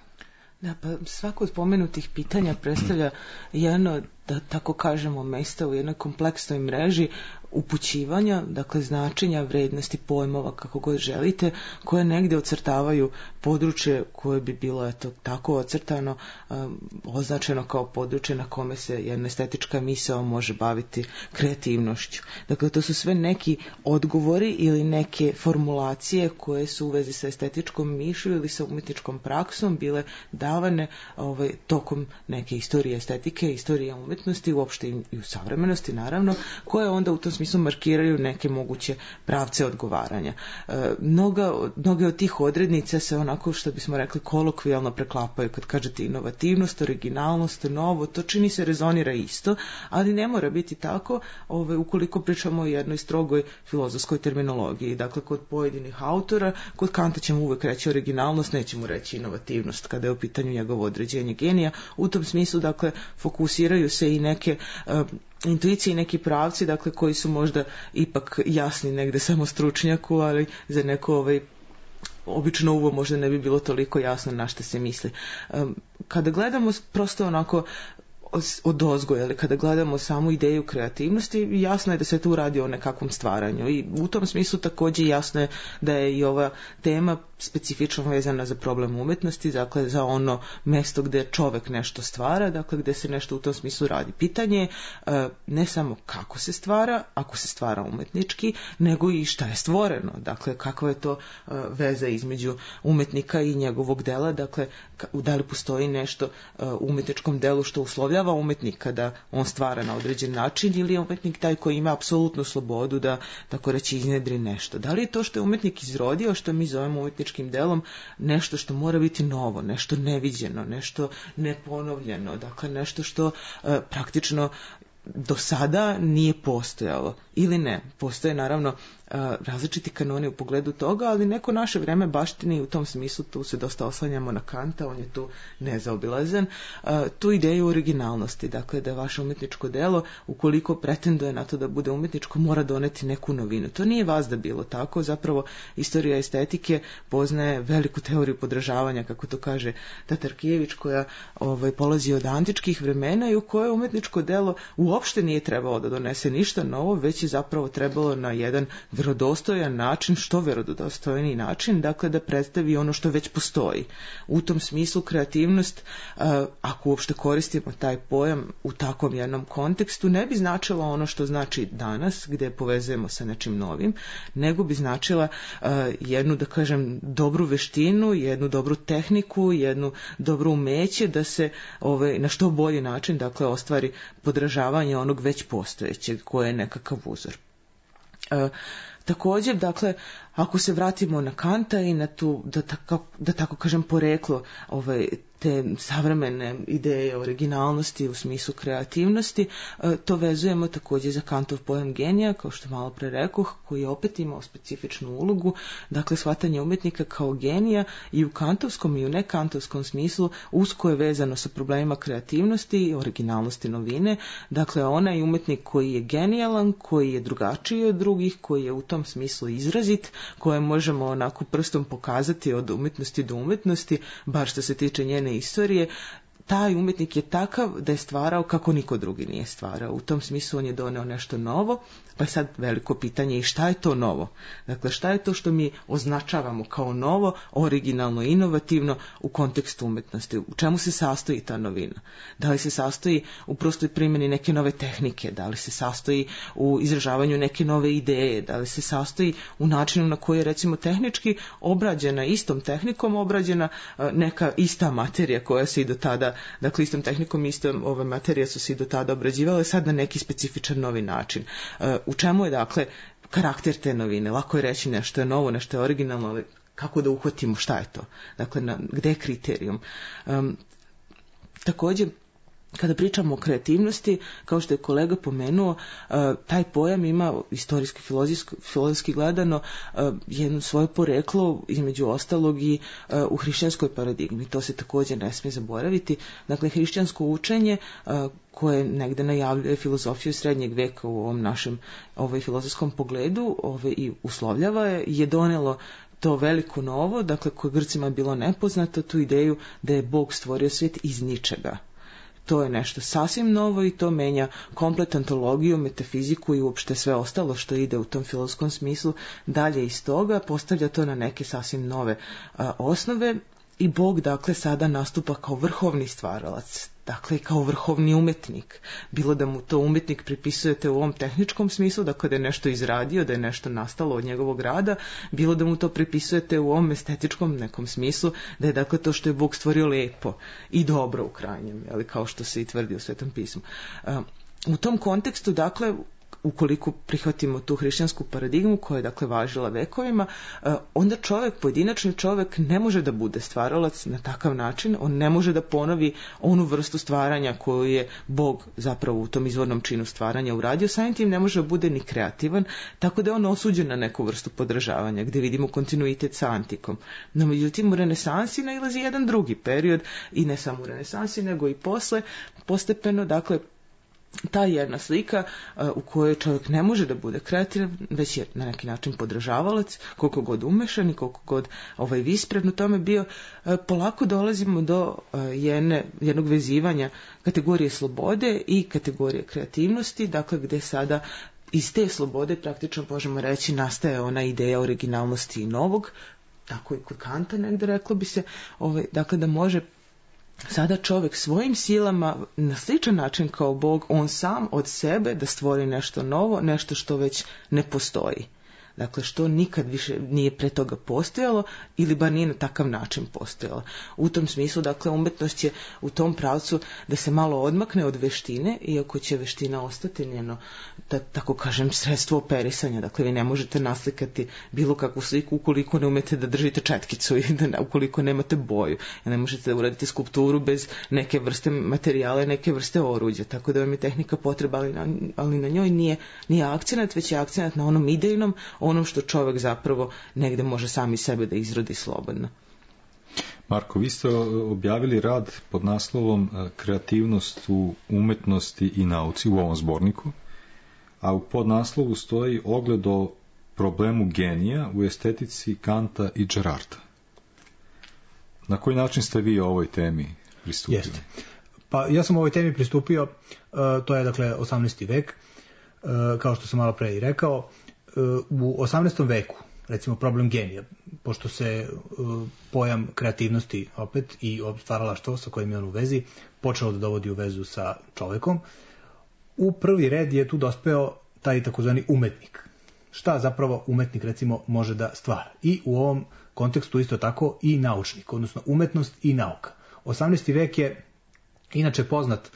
[SPEAKER 5] Da, pa svako od pomenutih pitanja predstavlja jedno, da tako kažemo, mesta u jednoj kompleksnoj mreži upućivanja, dakle značenja, vrednosti, pojmova, kako god želite, koje negde ocrtavaju područje koje bi bilo eto, tako ocrtano, um, označeno kao područje na kome se jedna estetička misao može baviti kreativnošću. Dakle, to su sve neki odgovori ili neke formulacije koje su u vezi sa estetičkom mišlju ili sa umetničkom praksom bile davane ovaj, tokom neke istorije estetike, istorije umetnosti, uopšte i u savremenosti, naravno, koje onda u tom smislu markiraju neke moguće pravce odgovaranja. E, mnoga, mnoge od tih odrednica se onako, što bismo rekli, kolokvijalno preklapaju. Kad kažete inovativnost, originalnost, novo, to čini se rezonira isto, ali ne mora biti tako ove, ukoliko pričamo o jednoj strogoj filozofskoj terminologiji. Dakle, kod pojedinih autora, kod Kanta ćemo uvek reći originalnost, nećemo reći inovativnost kada je u pitanju njegovo određenje genija. U tom smislu, dakle, fokusiraju se i neke uh, intuicije i neki pravci, dakle, koji su možda ipak jasni negde samo stručnjaku, ali za neko ovaj obično uvo možda ne bi bilo toliko jasno na šta se misli. Um, kada gledamo prosto onako od ozgoja, ali kada gledamo samu ideju kreativnosti, jasno je da se tu radi o nekakvom stvaranju i u tom smislu također jasno je da je i ova tema specifično vezana za problem umetnosti, dakle za ono mesto gde čovek nešto stvara, dakle gde se nešto u tom smislu radi. Pitanje je ne samo kako se stvara, ako se stvara umetnički, nego i šta je stvoreno, dakle kakva je to veza između umetnika i njegovog dela, dakle da li postoji nešto u umetničkom delu što uslovljava umetnika da on stvara na određen način ili je umetnik taj koji ima apsolutnu slobodu da, tako reći, iznedri nešto. Da li je to što je umetnik izrodio, što mi zovemo umetničkim delom, nešto što mora biti novo, nešto neviđeno, nešto neponovljeno, dakle nešto što e, praktično do sada nije postojalo ili ne. Postoje naravno različiti kanoni u pogledu toga, ali neko naše vreme baštini u tom smislu, tu se dosta oslanjamo na Kanta, on je tu nezaobilazan, tu ideju originalnosti, dakle da vaše umjetničko delo, ukoliko pretenduje na to da bude umjetničko, mora doneti neku novinu. To nije vazda bilo tako, zapravo istorija estetike poznaje veliku teoriju podražavanja, kako to kaže Tatarkijević, koja ovaj, polazi od antičkih vremena i u kojoj umjetničko delo uopšte nije trebalo da donese ništa novo, već je zapravo trebalo na jedan vjerodostojan način, što vjerodostojniji način, dakle da predstavi ono što već postoji. U tom smislu kreativnost, ako uopšte koristimo taj pojam u takvom jednom kontekstu, ne bi značila ono što znači danas, gdje povezujemo sa nečim novim, nego bi značila jednu, da kažem, dobru veštinu, jednu dobru tehniku, jednu dobru umeće da se ovaj, na što bolji način, dakle, ostvari podražavanje onog već postojećeg, koje je nekakav uzor. E, također, dakle, ako se vratimo na Kanta i na tu, da tako, da tako kažem, poreklo ovaj, te savremene ideje originalnosti u smislu kreativnosti, to vezujemo također za Kantov pojam genija, kao što malo pre rekoh, koji je opet imao specifičnu ulogu, dakle shvatanje umjetnika kao genija i u kantovskom i u nekantovskom smislu usko je vezano sa problemima kreativnosti, originalnosti, novine, dakle onaj umjetnik koji je genijalan, koji je drugačiji od drugih, koji je u tom smislu izrazit, koje možemo onako prstom pokazati od umjetnosti do umjetnosti, bar što se tiče njene istorije, taj umjetnik je takav da je stvarao kako niko drugi nije stvarao. U tom smislu on je doneo nešto novo, pa je sad veliko pitanje i šta je to novo? Dakle, šta je to što mi označavamo kao novo, originalno, inovativno u kontekstu umjetnosti? U čemu se sastoji ta novina? Da li se sastoji u prostoj primjeni neke nove tehnike? Da li se sastoji u izražavanju neke nove ideje? Da li se sastoji u načinu na koji je, recimo, tehnički obrađena, istom tehnikom obrađena neka ista materija koja se i do tada, dakle istom tehnikom istom ove materije su se i do tada obrađivale, sad na neki specifičan novi način. U čemu je, dakle, karakter te novine? Lako je reći nešto je novo, nešto je originalno, ali kako da uhvatimo šta je to? Dakle, na, gde je kriterijum? Um, također, kada pričamo o kreativnosti, kao što je kolega pomenuo, taj pojam ima istorijski, filozofski gledano jedno svoje poreklo, između ostalog i u hrišćanskoj paradigmi. To se također ne smije zaboraviti. Dakle, hrišćansko učenje koje negde najavljuje filozofiju srednjeg veka u ovom našem ovaj, filozofskom pogledu ovaj, i uslovljava je, je donelo to veliko novo, dakle koje Grcima je bilo nepoznato, tu ideju da je Bog stvorio svijet iz ničega. To je nešto sasvim novo i to menja komplet antologiju, metafiziku i uopšte sve ostalo što ide u tom filozofskom smislu. Dalje iz toga postavlja to na neke sasvim nove a, osnove i Bog, dakle, sada nastupa kao vrhovni stvaralac, dakle kao vrhovni umjetnik. Bilo da mu to umjetnik pripisujete u ovom tehničkom smislu, dakle da je nešto izradio, da je nešto nastalo od njegovog rada, bilo da mu to pripisujete u ovom estetičkom nekom smislu, da je, dakle, to što je Bog stvorio lijepo i dobro u krajnjem, ali kao što se i tvrdi u Svetom pismu. U tom kontekstu, dakle, ukoliko prihvatimo tu hrišćansku paradigmu koja je, dakle, važila vekovima, onda čovjek, pojedinačni čovjek, ne može da bude stvaralac na takav način, on ne može da ponovi onu vrstu stvaranja koju je Bog zapravo u tom izvornom činu stvaranja uradio, samim tim ne može da bude ni kreativan, tako da je on osuđen na neku vrstu podražavanja, gdje vidimo kontinuitet sa antikom. No, međutim, u renesansi nailazi jedan drugi period, i ne samo u renesansi, nego i posle, postepeno, dakle, ta jedna slika uh, u kojoj čovjek ne može da bude kreativan, već je na neki način podražavalac, koliko god umešan i koliko god ovaj vispredan u tome bio, uh, polako dolazimo do uh, jedne, jednog vezivanja kategorije slobode i kategorije kreativnosti, dakle gdje sada iz te slobode praktično možemo reći nastaje ona ideja originalnosti i novog, tako i kod Kanta negdje reklo bi se, ovaj, dakle da može sada čovjek svojim silama na sličan način kao Bog, on sam od sebe da stvori nešto novo, nešto što već ne postoji. Dakle, što nikad više nije pre toga postojalo ili bar nije na takav način postojalo. U tom smislu, dakle, umjetnost je u tom pravcu da se malo odmakne od veštine, iako će veština ostati njeno, da tako kažem, sredstvo operisanja. Dakle, vi ne možete naslikati bilo kakvu sliku ukoliko ne umete da držite četkicu i da, ukoliko nemate boju. Ne možete da uradite skulpturu bez neke vrste materijala i neke vrste oruđa. Tako da vam je tehnika potreba, ali na, ali na njoj nije, nije akcenat, već je akcenat na onom idejnom, onom što čovek zapravo negde može sami sebe da izrodi slobodno.
[SPEAKER 4] Marko, vi ste objavili rad pod naslovom Kreativnost u umetnosti i nauci u ovom zborniku, a u podnaslovu stoji ogled o problemu genija u estetici Kanta i Gerarda. Na koji način ste vi o ovoj temi pristupili?
[SPEAKER 6] Jeste. Pa ja sam ovoj temi pristupio, uh, to je dakle osamnaesti vek, uh, kao što sam malo pre i rekao. Uh, u osamnaestom veku, recimo problem genija, pošto se uh, pojam kreativnosti opet i stvaralaštvo sa kojim je on u vezi, počelo da dovodi u vezu sa čovekom, u prvi red je tu dospeo taj takozvani umetnik. Šta zapravo umetnik recimo može da stvara? I u ovom kontekstu isto tako i naučnik, odnosno umetnost i nauka. osamnaesti vek je inače poznat,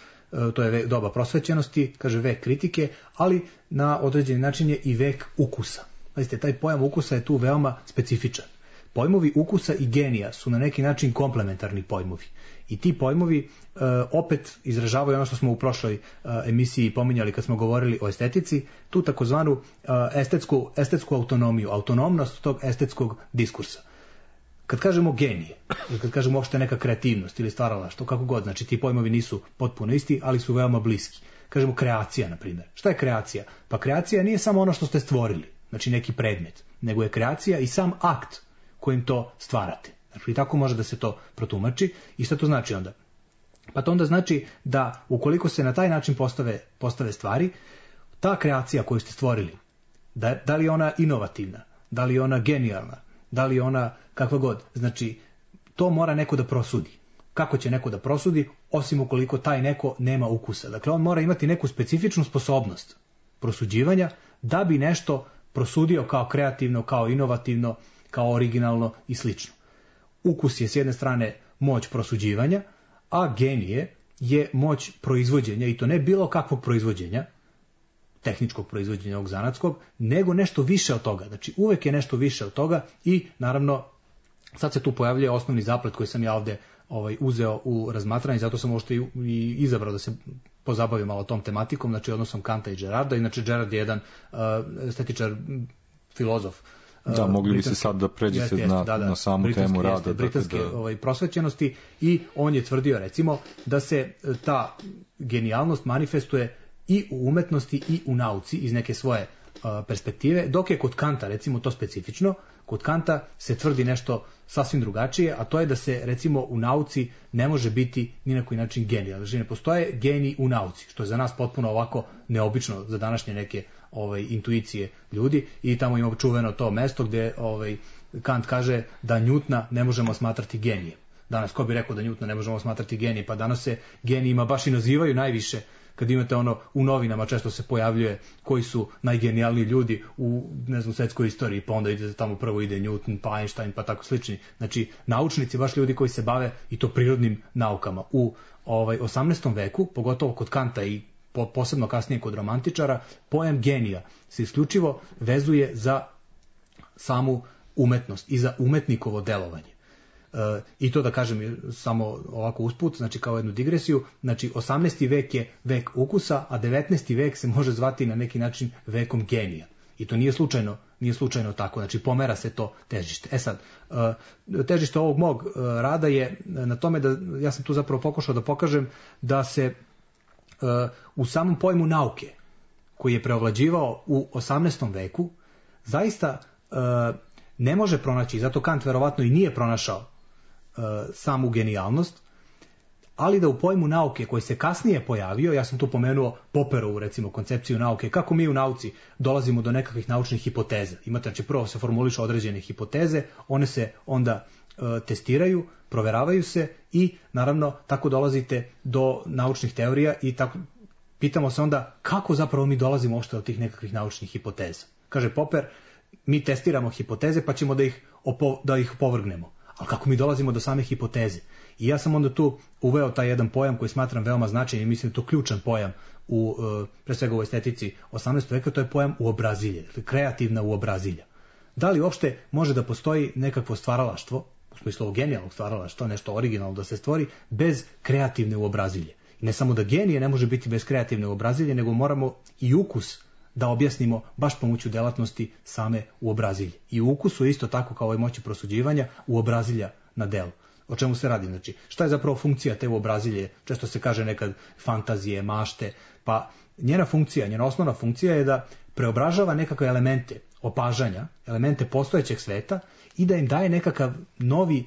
[SPEAKER 6] to je doba prosvećenosti, kaže vek kritike, ali na određeni način je i vek ukusa. Pazite, taj pojam ukusa je tu veoma specifičan. Pojmovi ukusa i genija su na neki način komplementarni pojmovi. I ti pojmovi e, opet izražavaju ono što smo u prošloj e, emisiji pominjali kad smo govorili o estetici, tu takozvanu e, estetsku, estetsku autonomiju, autonomnost tog estetskog diskursa. Kad kažemo genije, kad kažemo uopšte neka kreativnost ili stvaralaštvo, kako god, znači ti pojmovi nisu potpuno isti, ali su veoma bliski. Kažemo kreacija, na primjer. Šta je kreacija? Pa kreacija nije samo ono što ste stvorili, znači neki predmet, nego je kreacija i sam akt kojim to stvarate. Znači, tako može da se to protumači. I šta to znači onda? Pa to onda znači da ukoliko se na taj način postave, postave stvari, ta kreacija koju ste stvorili, da, da li je ona inovativna, da li je ona genijalna, da li je ona kakva god, znači to mora neko da prosudi. Kako će neko da prosudi, osim ukoliko taj neko nema ukusa? Dakle, on mora imati neku specifičnu sposobnost prosuđivanja da bi nešto prosudio kao kreativno, kao inovativno, kao originalno i slično. Ukus je s jedne strane moć prosuđivanja, a genije je moć proizvođenja, i to ne bilo kakvog proizvođenja, tehničkog proizvođenja ovog zanatskog, nego nešto više od toga. Znači uvek je nešto više od toga i naravno sad se tu pojavljuje osnovni zaplet koji sam ja ovde ovaj, uzeo u razmatranje, zato sam možda i, i izabrao da se pozabavim malo tom tematikom, znači odnosom Kanta i Gerarda. Inače Gerard je jedan uh, estetičar, filozof.
[SPEAKER 4] Da, mogli bi se sad da pređete
[SPEAKER 6] jeste,
[SPEAKER 4] na,
[SPEAKER 6] da, da,
[SPEAKER 4] na samu temu rada.
[SPEAKER 6] Jeste, britanske
[SPEAKER 4] da...
[SPEAKER 6] ovaj, prosvećenosti, i on je tvrdio recimo da se ta genijalnost manifestuje i u umetnosti i u nauci iz neke svoje uh, perspektive, dok je kod Kanta recimo to specifično. Kod Kanta se tvrdi nešto sasvim drugačije, a to je da se recimo u nauci ne može biti ni na koji način genij. Znači ne postoje genij u nauci, što je za nas potpuno ovako neobično za današnje neke ovaj, intuicije ljudi, i tamo ima čuveno to mesto gde ovaj, Kant kaže da Newtona ne možemo smatrati genijem. Danas ko bi rekao da Newtona ne možemo smatrati genijem? Pa danas se genijima baš i nazivaju najviše. Kad imate ono u novinama često se pojavljuje koji su najgenijalniji ljudi u, ne znam, svetskoj istoriji, pa onda ide tamo prvo ide Newton, pa Einstein, pa tako slični. Znači naučnici, baš ljudi koji se bave i to prirodnim naukama. U ovaj osamnaestom veku, pogotovo kod Kanta i po, posebno kasnije kod romantičara, pojam genija se isključivo vezuje za samu umetnost i za umetnikovo delovanje. E, I to da kažem samo ovako usput, znači kao jednu digresiju, znači osamnaesti vek je vek ukusa, a devetnaesti vek se može zvati na neki način vekom genija. I to nije slučajno, nije slučajno tako, znači pomera se to težište. E sad, e, težište ovog mog rada je na tome da, ja sam tu zapravo pokušao da pokažem da se e, u samom pojmu nauke, koji je preovlađivao u osamnaestom veku, zaista e, ne može pronaći, zato Kant verovatno i nije pronašao samu genijalnost, ali da u pojmu nauke koji se kasnije pojavio, ja sam tu pomenuo Popperovu recimo koncepciju nauke, kako mi u nauci dolazimo do nekakvih naučnih hipoteza. Imate, znači prvo se formulišu određene hipoteze, one se onda e, testiraju, proveravaju se i naravno tako dolazite do naučnih teorija i tako pitamo se onda kako zapravo mi dolazimo uopšte do tih nekakvih naučnih hipoteza. Kaže Popper, mi testiramo hipoteze pa ćemo da ih, opo, da ih opovrgnemo. Ali kako mi dolazimo do same hipoteze? I ja sam onda tu uveo taj jedan pojam koji smatram veoma značajnim i mislim da je to ključan pojam u, pre svega u estetici osamnaestog veka, to je pojam uobrazilje, kreativna uobrazilja. Da li uopšte može da postoji nekakvo stvaralaštvo, u smislu ovog genijalnog stvaralaštva, nešto originalno da se stvori, bez kreativne uobrazilje? I ne samo da genije ne može biti bez kreativne uobrazilje, nego moramo i ukus da objasnimo baš pomoću delatnosti same uobrazilje. I u ukusu isto tako kao i moći prosuđivanja uobrazilja na delu. O čemu se radi? Znači, šta je zapravo funkcija te uobrazilje? Često se kaže nekad fantazije, mašte, pa njena funkcija, njena osnovna funkcija je da preobražava nekakve elemente opažanja, elemente postojećeg sveta i da im daje nekakav novi,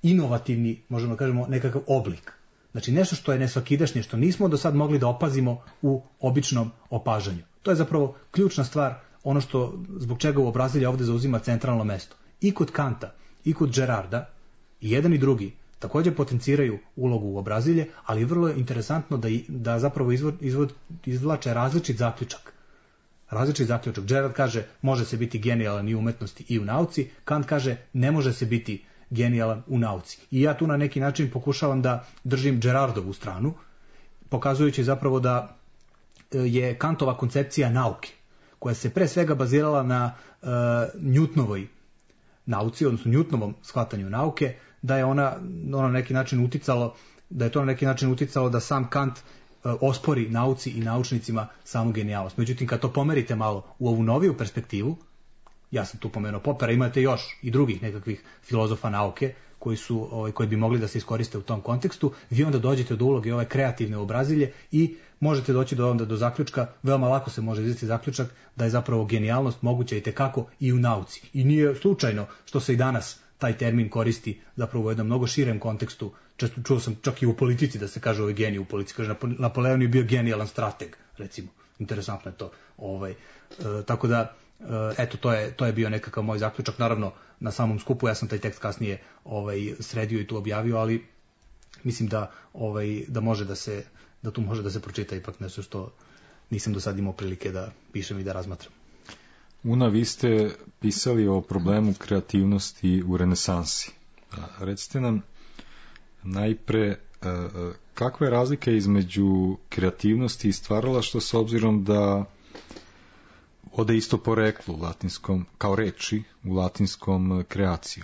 [SPEAKER 6] inovativni, možemo da kažemo, nekakav oblik. Znači nešto što je nesvakidašnje, što nismo do sad mogli da opazimo u običnom opažanju. To je zapravo ključna stvar, ono što zbog čega uobrazilje ovdje zauzima centralno mesto. I kod Kanta, i kod Gerarda, i jedan i drugi također potenciraju ulogu uobrazilje, ali je vrlo interesantno da, da zapravo izvod, izvod, izvlače različit zaključak. Različit zaključak. Gerard kaže može se biti genijalan i u umetnosti i u nauci, Kant kaže ne može se biti genijalan u nauci. I ja tu na neki način pokušavam da držim Gerardovu stranu, pokazujući zapravo da je Kantova koncepcija nauke, koja se pre svega bazirala na uh, Newtonovoj nauci, odnosno Newtonovom shvatanju nauke, da je ona, ona na neki način uticalo, da je to na neki način uticalo da sam Kant uh, ospori nauci i naučnicima samu genijalnost. Međutim, kad to pomerite malo u ovu noviju perspektivu, ja sam tu pomenuo Popera, imate još i drugih nekakvih filozofa nauke koji su, ovaj, koji bi mogli da se iskoriste u tom kontekstu, vi onda dođete do uloge ove kreativne obrazilje i možete doći do onda do zaključka, veoma lako se može izvesti zaključak da je zapravo genijalnost moguća i tekako i u nauci. I nije slučajno što se i danas taj termin koristi zapravo u jednom mnogo širem kontekstu. Često čuo sam čak i u politici da se kaže ovaj genij u politici, kaže Napoleon je bio genijalan strateg, recimo. Interesantno je to. Ovaj, e, tako da eto, to je, to je bio nekakav moj zaključak. Naravno, na samom skupu ja sam taj tekst kasnije ovaj, sredio i tu objavio, ali mislim da, ovaj, da može da se, da tu može da se pročita ipak nešto što nisam do sad imao prilike da pišem i da razmatram.
[SPEAKER 4] Una, vi ste pisali o problemu kreativnosti u renesansi. Recite nam najpre kakva je razlika između kreativnosti i stvaralaštva s obzirom da ode isto poreklo u latinskom, kao reči u latinskom kreaciju.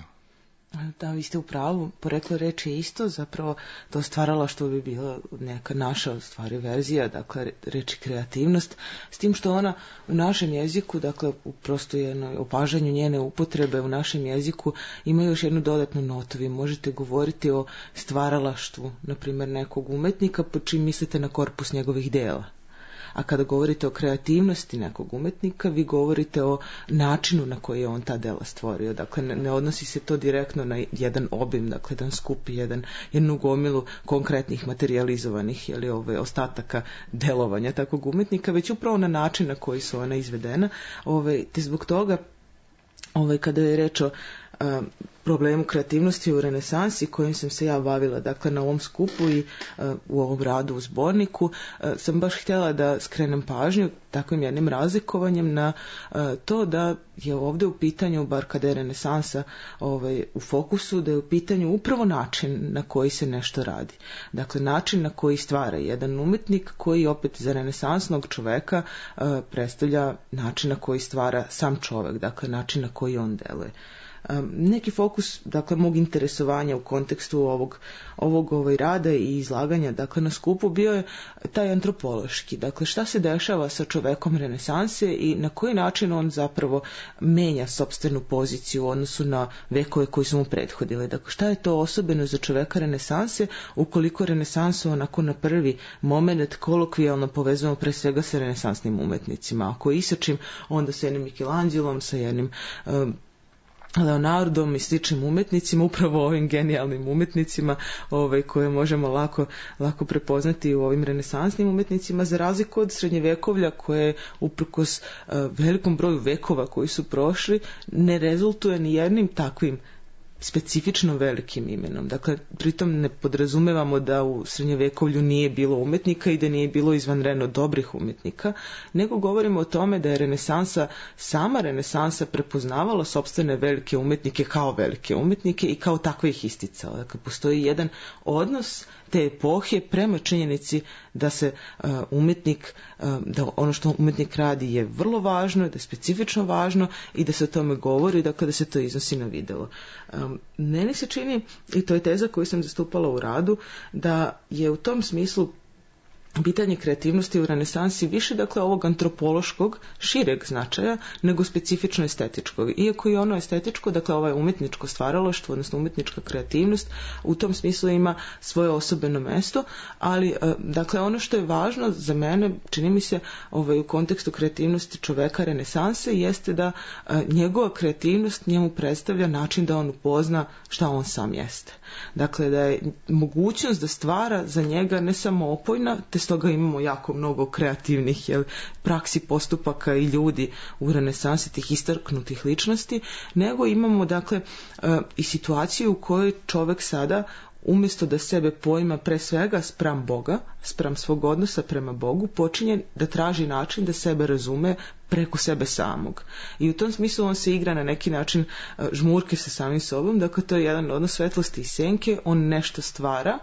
[SPEAKER 5] Da, vi ste u pravu, poreklo reči je isto, zapravo to stvaralaštvo bi bila neka naša stvari verzija, dakle reči kreativnost, s tim što ona u našem jeziku, dakle u prosto jednoj opažanju njene upotrebe u našem jeziku ima još jednu dodatnu notu. Vi možete govoriti o stvaralaštvu, na primjer nekog umetnika, po čim mislite na korpus njegovih dela. A kada govorite o kreativnosti nekog umetnika, vi govorite o načinu na koji je on ta dela stvorio. Dakle, ne, ne odnosi se to direktno na jedan obim, dakle, jedan skup, jedan, jednu gomilu konkretnih materializovanih ili ove ostataka delovanja takvog umetnika, već upravo na način na koji su ona izvedena. Ove, te zbog toga, ove, kada je reč o a, problemu kreativnosti u renesansi kojim sam se ja bavila, dakle na ovom skupu i uh, u ovom radu u zborniku, uh, sam baš htjela da skrenem pažnju takvim jednim razlikovanjem na uh, to da je ovdje u pitanju, bar kada je renesansa ovaj, u fokusu, da je u pitanju upravo način na koji se nešto radi. Dakle, način na koji stvara jedan umetnik koji opet za renesansnog čoveka uh, predstavlja način na koji stvara sam čovek, dakle način na koji on deluje. Neki fokus, dakle, mog interesovanja u kontekstu ovog, ovog ovaj, rada i izlaganja, dakle, na skupu bio je taj antropološki. Dakle, šta se dešava sa čovekom renesanse i na koji način on zapravo menja sopstvenu poziciju u odnosu na vekove koji su mu prethodili. Dakle, šta je to osobeno za čoveka renesanse ukoliko renesansu onako na prvi moment kolokvijalno povezujemo pre svega sa renesansnim umetnicima. Ako isačim, onda sa jednim Michelangelom, sa jednim um, Leonardom i sličnim umetnicima, upravo ovim genijalnim umetnicima ovaj, koje možemo lako, lako prepoznati u ovim renesansnim umetnicima, za razliku od srednjevekovlja koje uprkos uh, velikom broju vekova koji su prošli ne rezultuje ni jednim takvim specifično velikim imenom. Dakle, pritom ne podrazumevamo da u srednjevekovlju nije bilo umetnika i da nije bilo izvanredno dobrih umetnika, nego govorimo o tome da je renesansa, sama renesansa prepoznavala sopstvene velike umetnike kao velike umetnike i kao takve ih isticala. Dakle, postoji jedan odnos te epohe prema činjenici da se uh, umetnik, uh, da ono što umetnik radi je vrlo važno, da je specifično važno i da se o tome govori, dakle da se to iznosi na videlo. Um, meni se čini, i to je teza koju sam zastupala u radu, da je u tom smislu pitanje kreativnosti u renesansi više, dakle, ovog antropološkog, šireg značaja, nego specifično estetičkog. Iako je ono estetičko, dakle, ovaj umjetničko stvaralaštvo, odnosno umjetnička kreativnost, u tom smislu ima svoje osobeno mesto, ali, dakle, ono što je važno za mene, čini mi se, ovaj, u kontekstu kreativnosti čoveka renesanse, jeste da njegova kreativnost njemu predstavlja način da on upozna šta on sam jeste. Dakle, da je mogućnost da stvara za njega ne samo opojna, te stoga imamo jako mnogo kreativnih, jel, praksi, postupaka i ljudi u renesansi, tih istaknutih ličnosti, nego imamo, dakle, i situaciju u kojoj čovek sada, umjesto da sebe poima pre svega spram Boga, spram svog odnosa prema Bogu, počinje da traži način da sebe razume preko sebe samog. I u tom smislu on se igra na neki način žmurke sa samim sobom, dakle to je jedan odnos svetlosti i senke, on nešto stvara,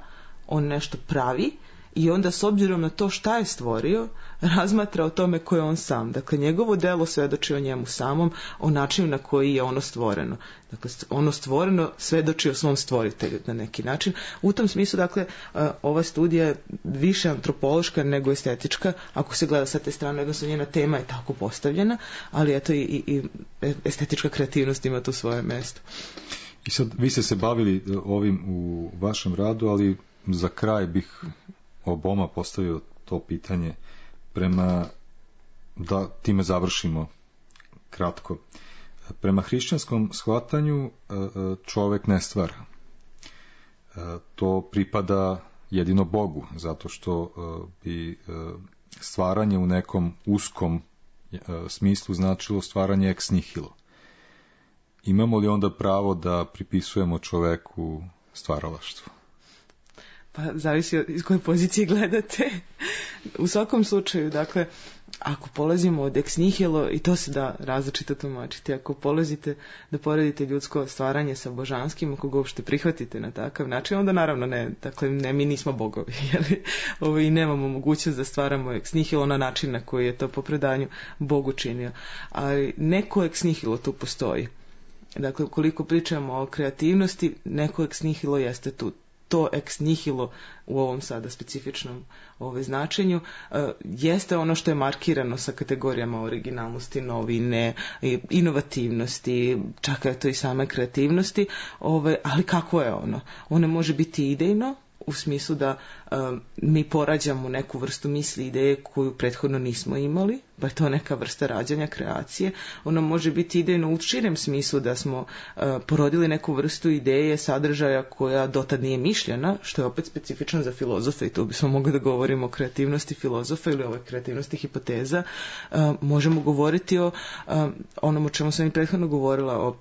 [SPEAKER 5] on nešto pravi, i onda s obzirom na to šta je stvorio, razmatra o tome ko je on sam. Dakle, njegovo delo svedoči o njemu samom, o načinu na koji je ono stvoreno. Dakle, ono stvoreno svedoči o svom stvoritelju na neki način. U tom smislu, dakle, ova studija je više antropološka nego estetička, ako se gleda sa te strane, odnosno njena tema je tako postavljena, ali eto i, i, i estetička kreativnost ima tu svoje mesto.
[SPEAKER 4] I sad, vi ste se bavili ovim u vašem radu, ali za kraj bih oboma postavio to pitanje prema, da time završimo kratko. Prema hrišćanskom shvatanju čovek ne stvara. To pripada jedino Bogu, zato što bi stvaranje u nekom uskom smislu značilo stvaranje ex nihilo. Imamo li onda pravo da pripisujemo čoveku stvaralaštvo?
[SPEAKER 5] Pa zavisi iz koje pozicije gledate. U svakom slučaju, dakle, ako polazimo od ex nihilo, i to se da različito tumačiti, ako polazite da poredite ljudsko stvaranje sa božanskim, ako ga uopšte prihvatite na takav način, onda naravno ne, dakle, ne, mi nismo bogovi, jer ovo, i nemamo mogućnost da stvaramo ex nihilo na način na koji je to po predanju Bogu činio. Ali neko ex nihilo tu postoji. Dakle, ukoliko pričamo o kreativnosti, neko ex nihilo jeste tu. To ex nihilo u ovom sada specifičnom ove značenju uh, jeste ono što je markirano sa kategorijama originalnosti, novine, inovativnosti, čak je to i same kreativnosti, ove, ali kako je ono? Ono može biti idejno, u smislu da um, mi porađamo neku vrstu misli, ideje koju prethodno nismo imali, pa je to neka vrsta rađanja, kreacije. Ono može biti idejno u širem smislu da smo uh, porodili neku vrstu ideje, sadržaja koja dotad nije mišljena, što je opet specifično za filozofe, i tu bismo mogli da govorimo o kreativnosti filozofa ili o kreativnosti hipoteza. Uh, možemo govoriti o um, onom o čemu sam i prethodno govorila, o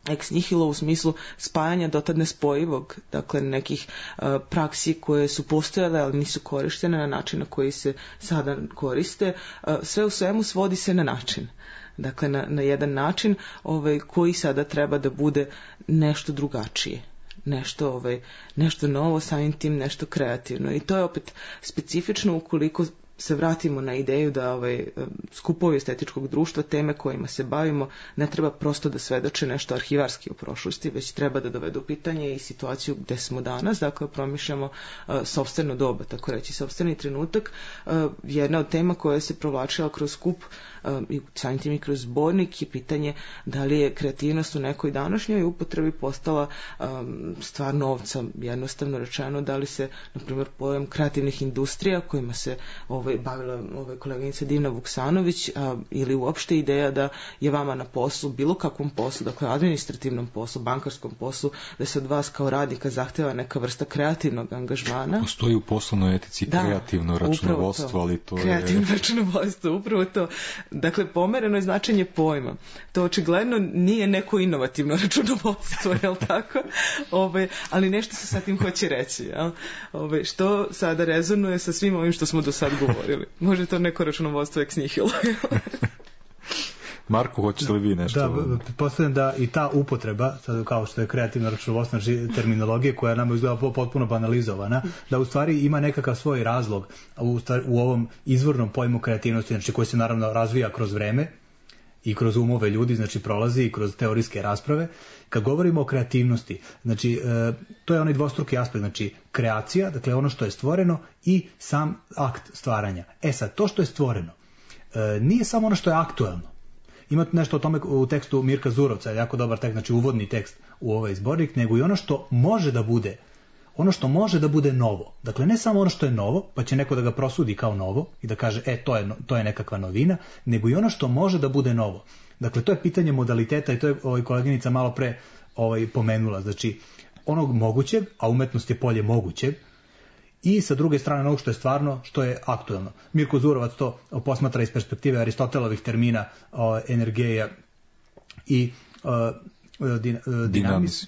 [SPEAKER 5] ex nihilo u smislu spajanja dotad nespojivog, dakle nekih uh, praksi koje su postojale, ali nisu korištene na način na koji se sada koriste. Uh, sve u svemu svodi se na način. Dakle, na, na jedan način ovaj, koji sada treba da bude nešto drugačije. Nešto, ovaj, nešto novo, samim tim nešto kreativno. I to je opet specifično ukoliko se vratimo na ideju da ovaj, skupovi estetičkog društva, teme kojima se bavimo, ne treba prosto da svedoče nešto arhivarski u prošlosti, već treba da dovedu pitanje i situaciju gde smo danas, dakle promišljamo uh, sopstveno doba, tako reći, sopstveni trenutak. Uh, jedna od tema koja se provlačila kroz skup uh, i samim tim i kroz zbornik je pitanje da li je kreativnost u nekoj današnjoj upotrebi postala um, stvar novca, jednostavno rečeno, da li se, na primjer, pojam kreativnih industrija kojima se ovaj, bavila ovaj, koleginica Divna Vuksanović, a, ili uopšte ideja da je vama na poslu, bilo kakvom poslu, dakle administrativnom poslu, bankarskom poslu, da se od vas kao radnika zahteva neka vrsta kreativnog angažmana.
[SPEAKER 4] Postoji u poslovnoj etici da, kreativno računovodstvo, to. ali to
[SPEAKER 5] kreativno je... Kreativno računovodstvo, upravo to. Dakle, pomereno je značenje pojma. To očigledno nije neko inovativno računovodstvo, je li tako? Ove, ali nešto se sa tim hoće reći, jel? Ove, što sada rezonuje sa svim ovim što smo do sad govorili. Može to neko računovodstvo ex nihilo.
[SPEAKER 4] Marko, hoćete li vi nešto?
[SPEAKER 6] Da, postavljam da i ta upotreba, sad kao što je kreativno računovodstvo, terminologije koja nam izgleda potpuno banalizovana, da u stvari ima nekakav svoj razlog u, stvari, u ovom izvornom pojmu kreativnosti, znači koji se naravno razvija kroz vreme i kroz umove ljudi, znači prolazi i kroz teorijske rasprave. Kad govorimo o kreativnosti, znači e, to je onaj dvostruki aspekt, znači kreacija, dakle ono što je stvoreno i sam akt stvaranja. E sad, to što je stvoreno e, nije samo ono što je aktuelno. Imate nešto o tome u tekstu Mirka Zurovca, jako dobar tekst, znači uvodni tekst u ovaj zbornik, nego i ono što može da bude ono što može da bude novo. Dakle, ne samo ono što je novo, pa će neko da ga prosudi kao novo i da kaže, e, to je, to je nekakva novina, nego i ono što može da bude novo. Dakle, to je pitanje modaliteta i to je ovaj, koleginica malo pre ovaj, pomenula. Znači, onog mogućeg, a umetnost je polje mogućeg, i sa druge strane onog što je stvarno, što je aktuelno. Mirko Zurovac to posmatra iz perspektive Aristotelovih termina o, energija i o, din, dinamis.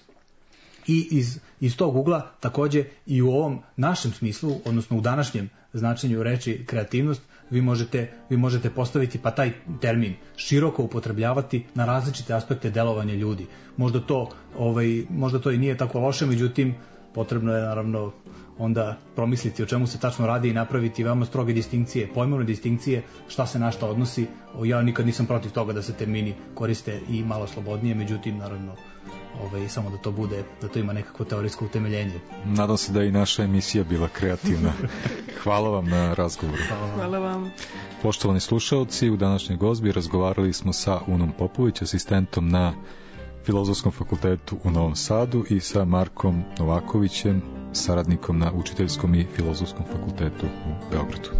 [SPEAKER 6] I iz, iz tog ugla takođe i u ovom našem smislu, odnosno u današnjem značenju reči kreativnost, vi možete, vi možete postaviti pa taj termin široko upotrebljavati na različite aspekte delovanja ljudi. Možda to, ovaj, možda to i nije tako loše, međutim potrebno je naravno onda promisliti o čemu se tačno radi i napraviti veoma stroge distinkcije, pojmovne distinkcije, šta se na šta odnosi. Ja nikad nisam protiv toga da se termini koriste i malo slobodnije, međutim naravno Ove, samo da to bude, da to ima nekako teorijsko utemeljenje.
[SPEAKER 4] Nadam se da je i naša emisija bila kreativna. Hvala vam na razgovoru.
[SPEAKER 5] Hvala vam. Hvala vam.
[SPEAKER 4] Poštovani slušaoci, u današnjoj gozbi razgovarali smo sa Unom Popović, asistentom na Filozofskom fakultetu u Novom Sadu, i sa Markom Novakovićem, saradnikom na Učiteljskom i Filozofskom fakultetu u Beogradu.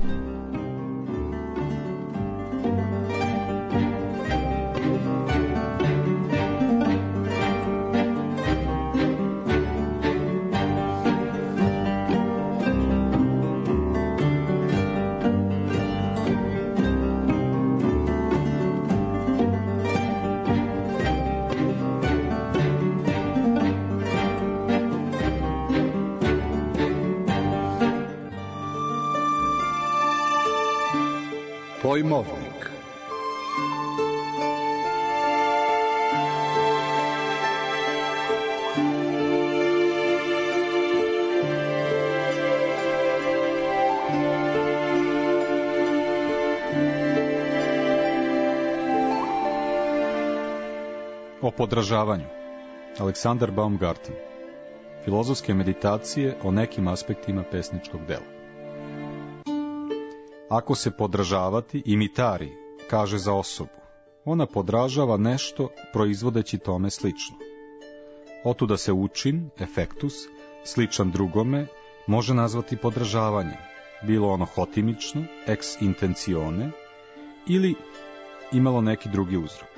[SPEAKER 2] Pojmovnik.
[SPEAKER 4] O podražavanju. Aleksandar Baumgarten. Filozofske meditacije o nekim aspektima pesničkog dela. Ako se podražavati, imitari, kaže za osobu, ona podražava nešto proizvodeći tome slično. Otuda se učin, efektus, sličan drugome, može nazvati podražavanjem, bilo ono hotimično, ex intentione, ili imalo neki drugi uzrok.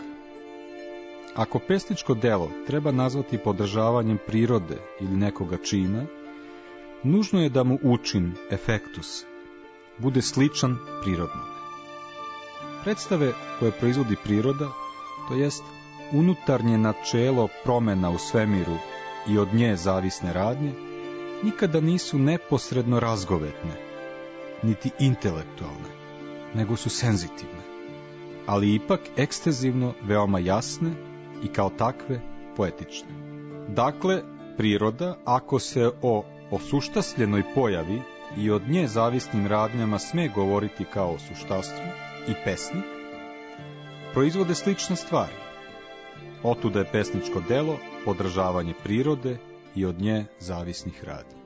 [SPEAKER 4] Ako pesničko delo treba nazvati podražavanjem prirode ili nekoga čina, nužno je da mu učin, efektus, bude sličan prirodnome. Predstave koje proizvodi priroda, to jest unutarnje načelo promena u svemiru i od nje zavisne radnje, nikada nisu neposredno razgovetne, niti intelektualne, nego su senzitivne, ali ipak ekstenzivno veoma jasne i kao takve poetične. Dakle, priroda, ako se o osuštasljenoj pojavi i od nje zavisnim radnjama sme govoriti kao o suštastvu, i pesnik, proizvode slične stvari. Otuda je pesničko delo podržavanje prirode i od nje zavisnih radnji.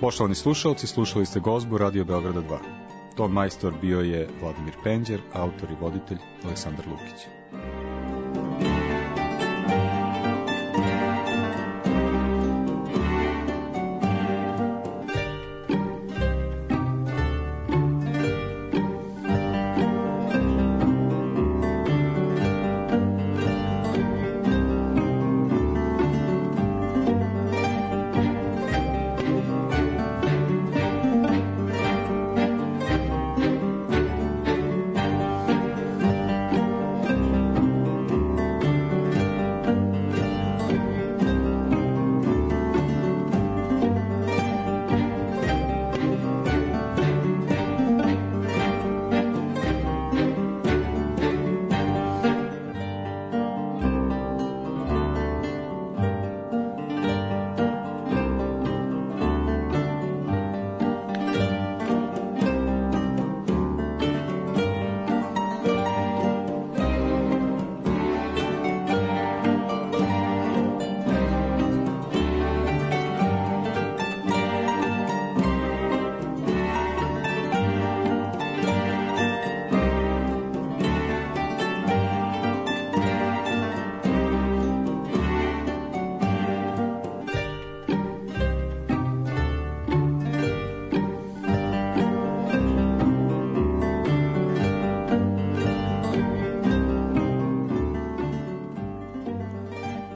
[SPEAKER 4] Poštovani slušalci, slušali ste gozbu Radio Beograda dva. Ton majstor bio je Vladimir Penđer, autor i voditelj Aleksandar Lukić.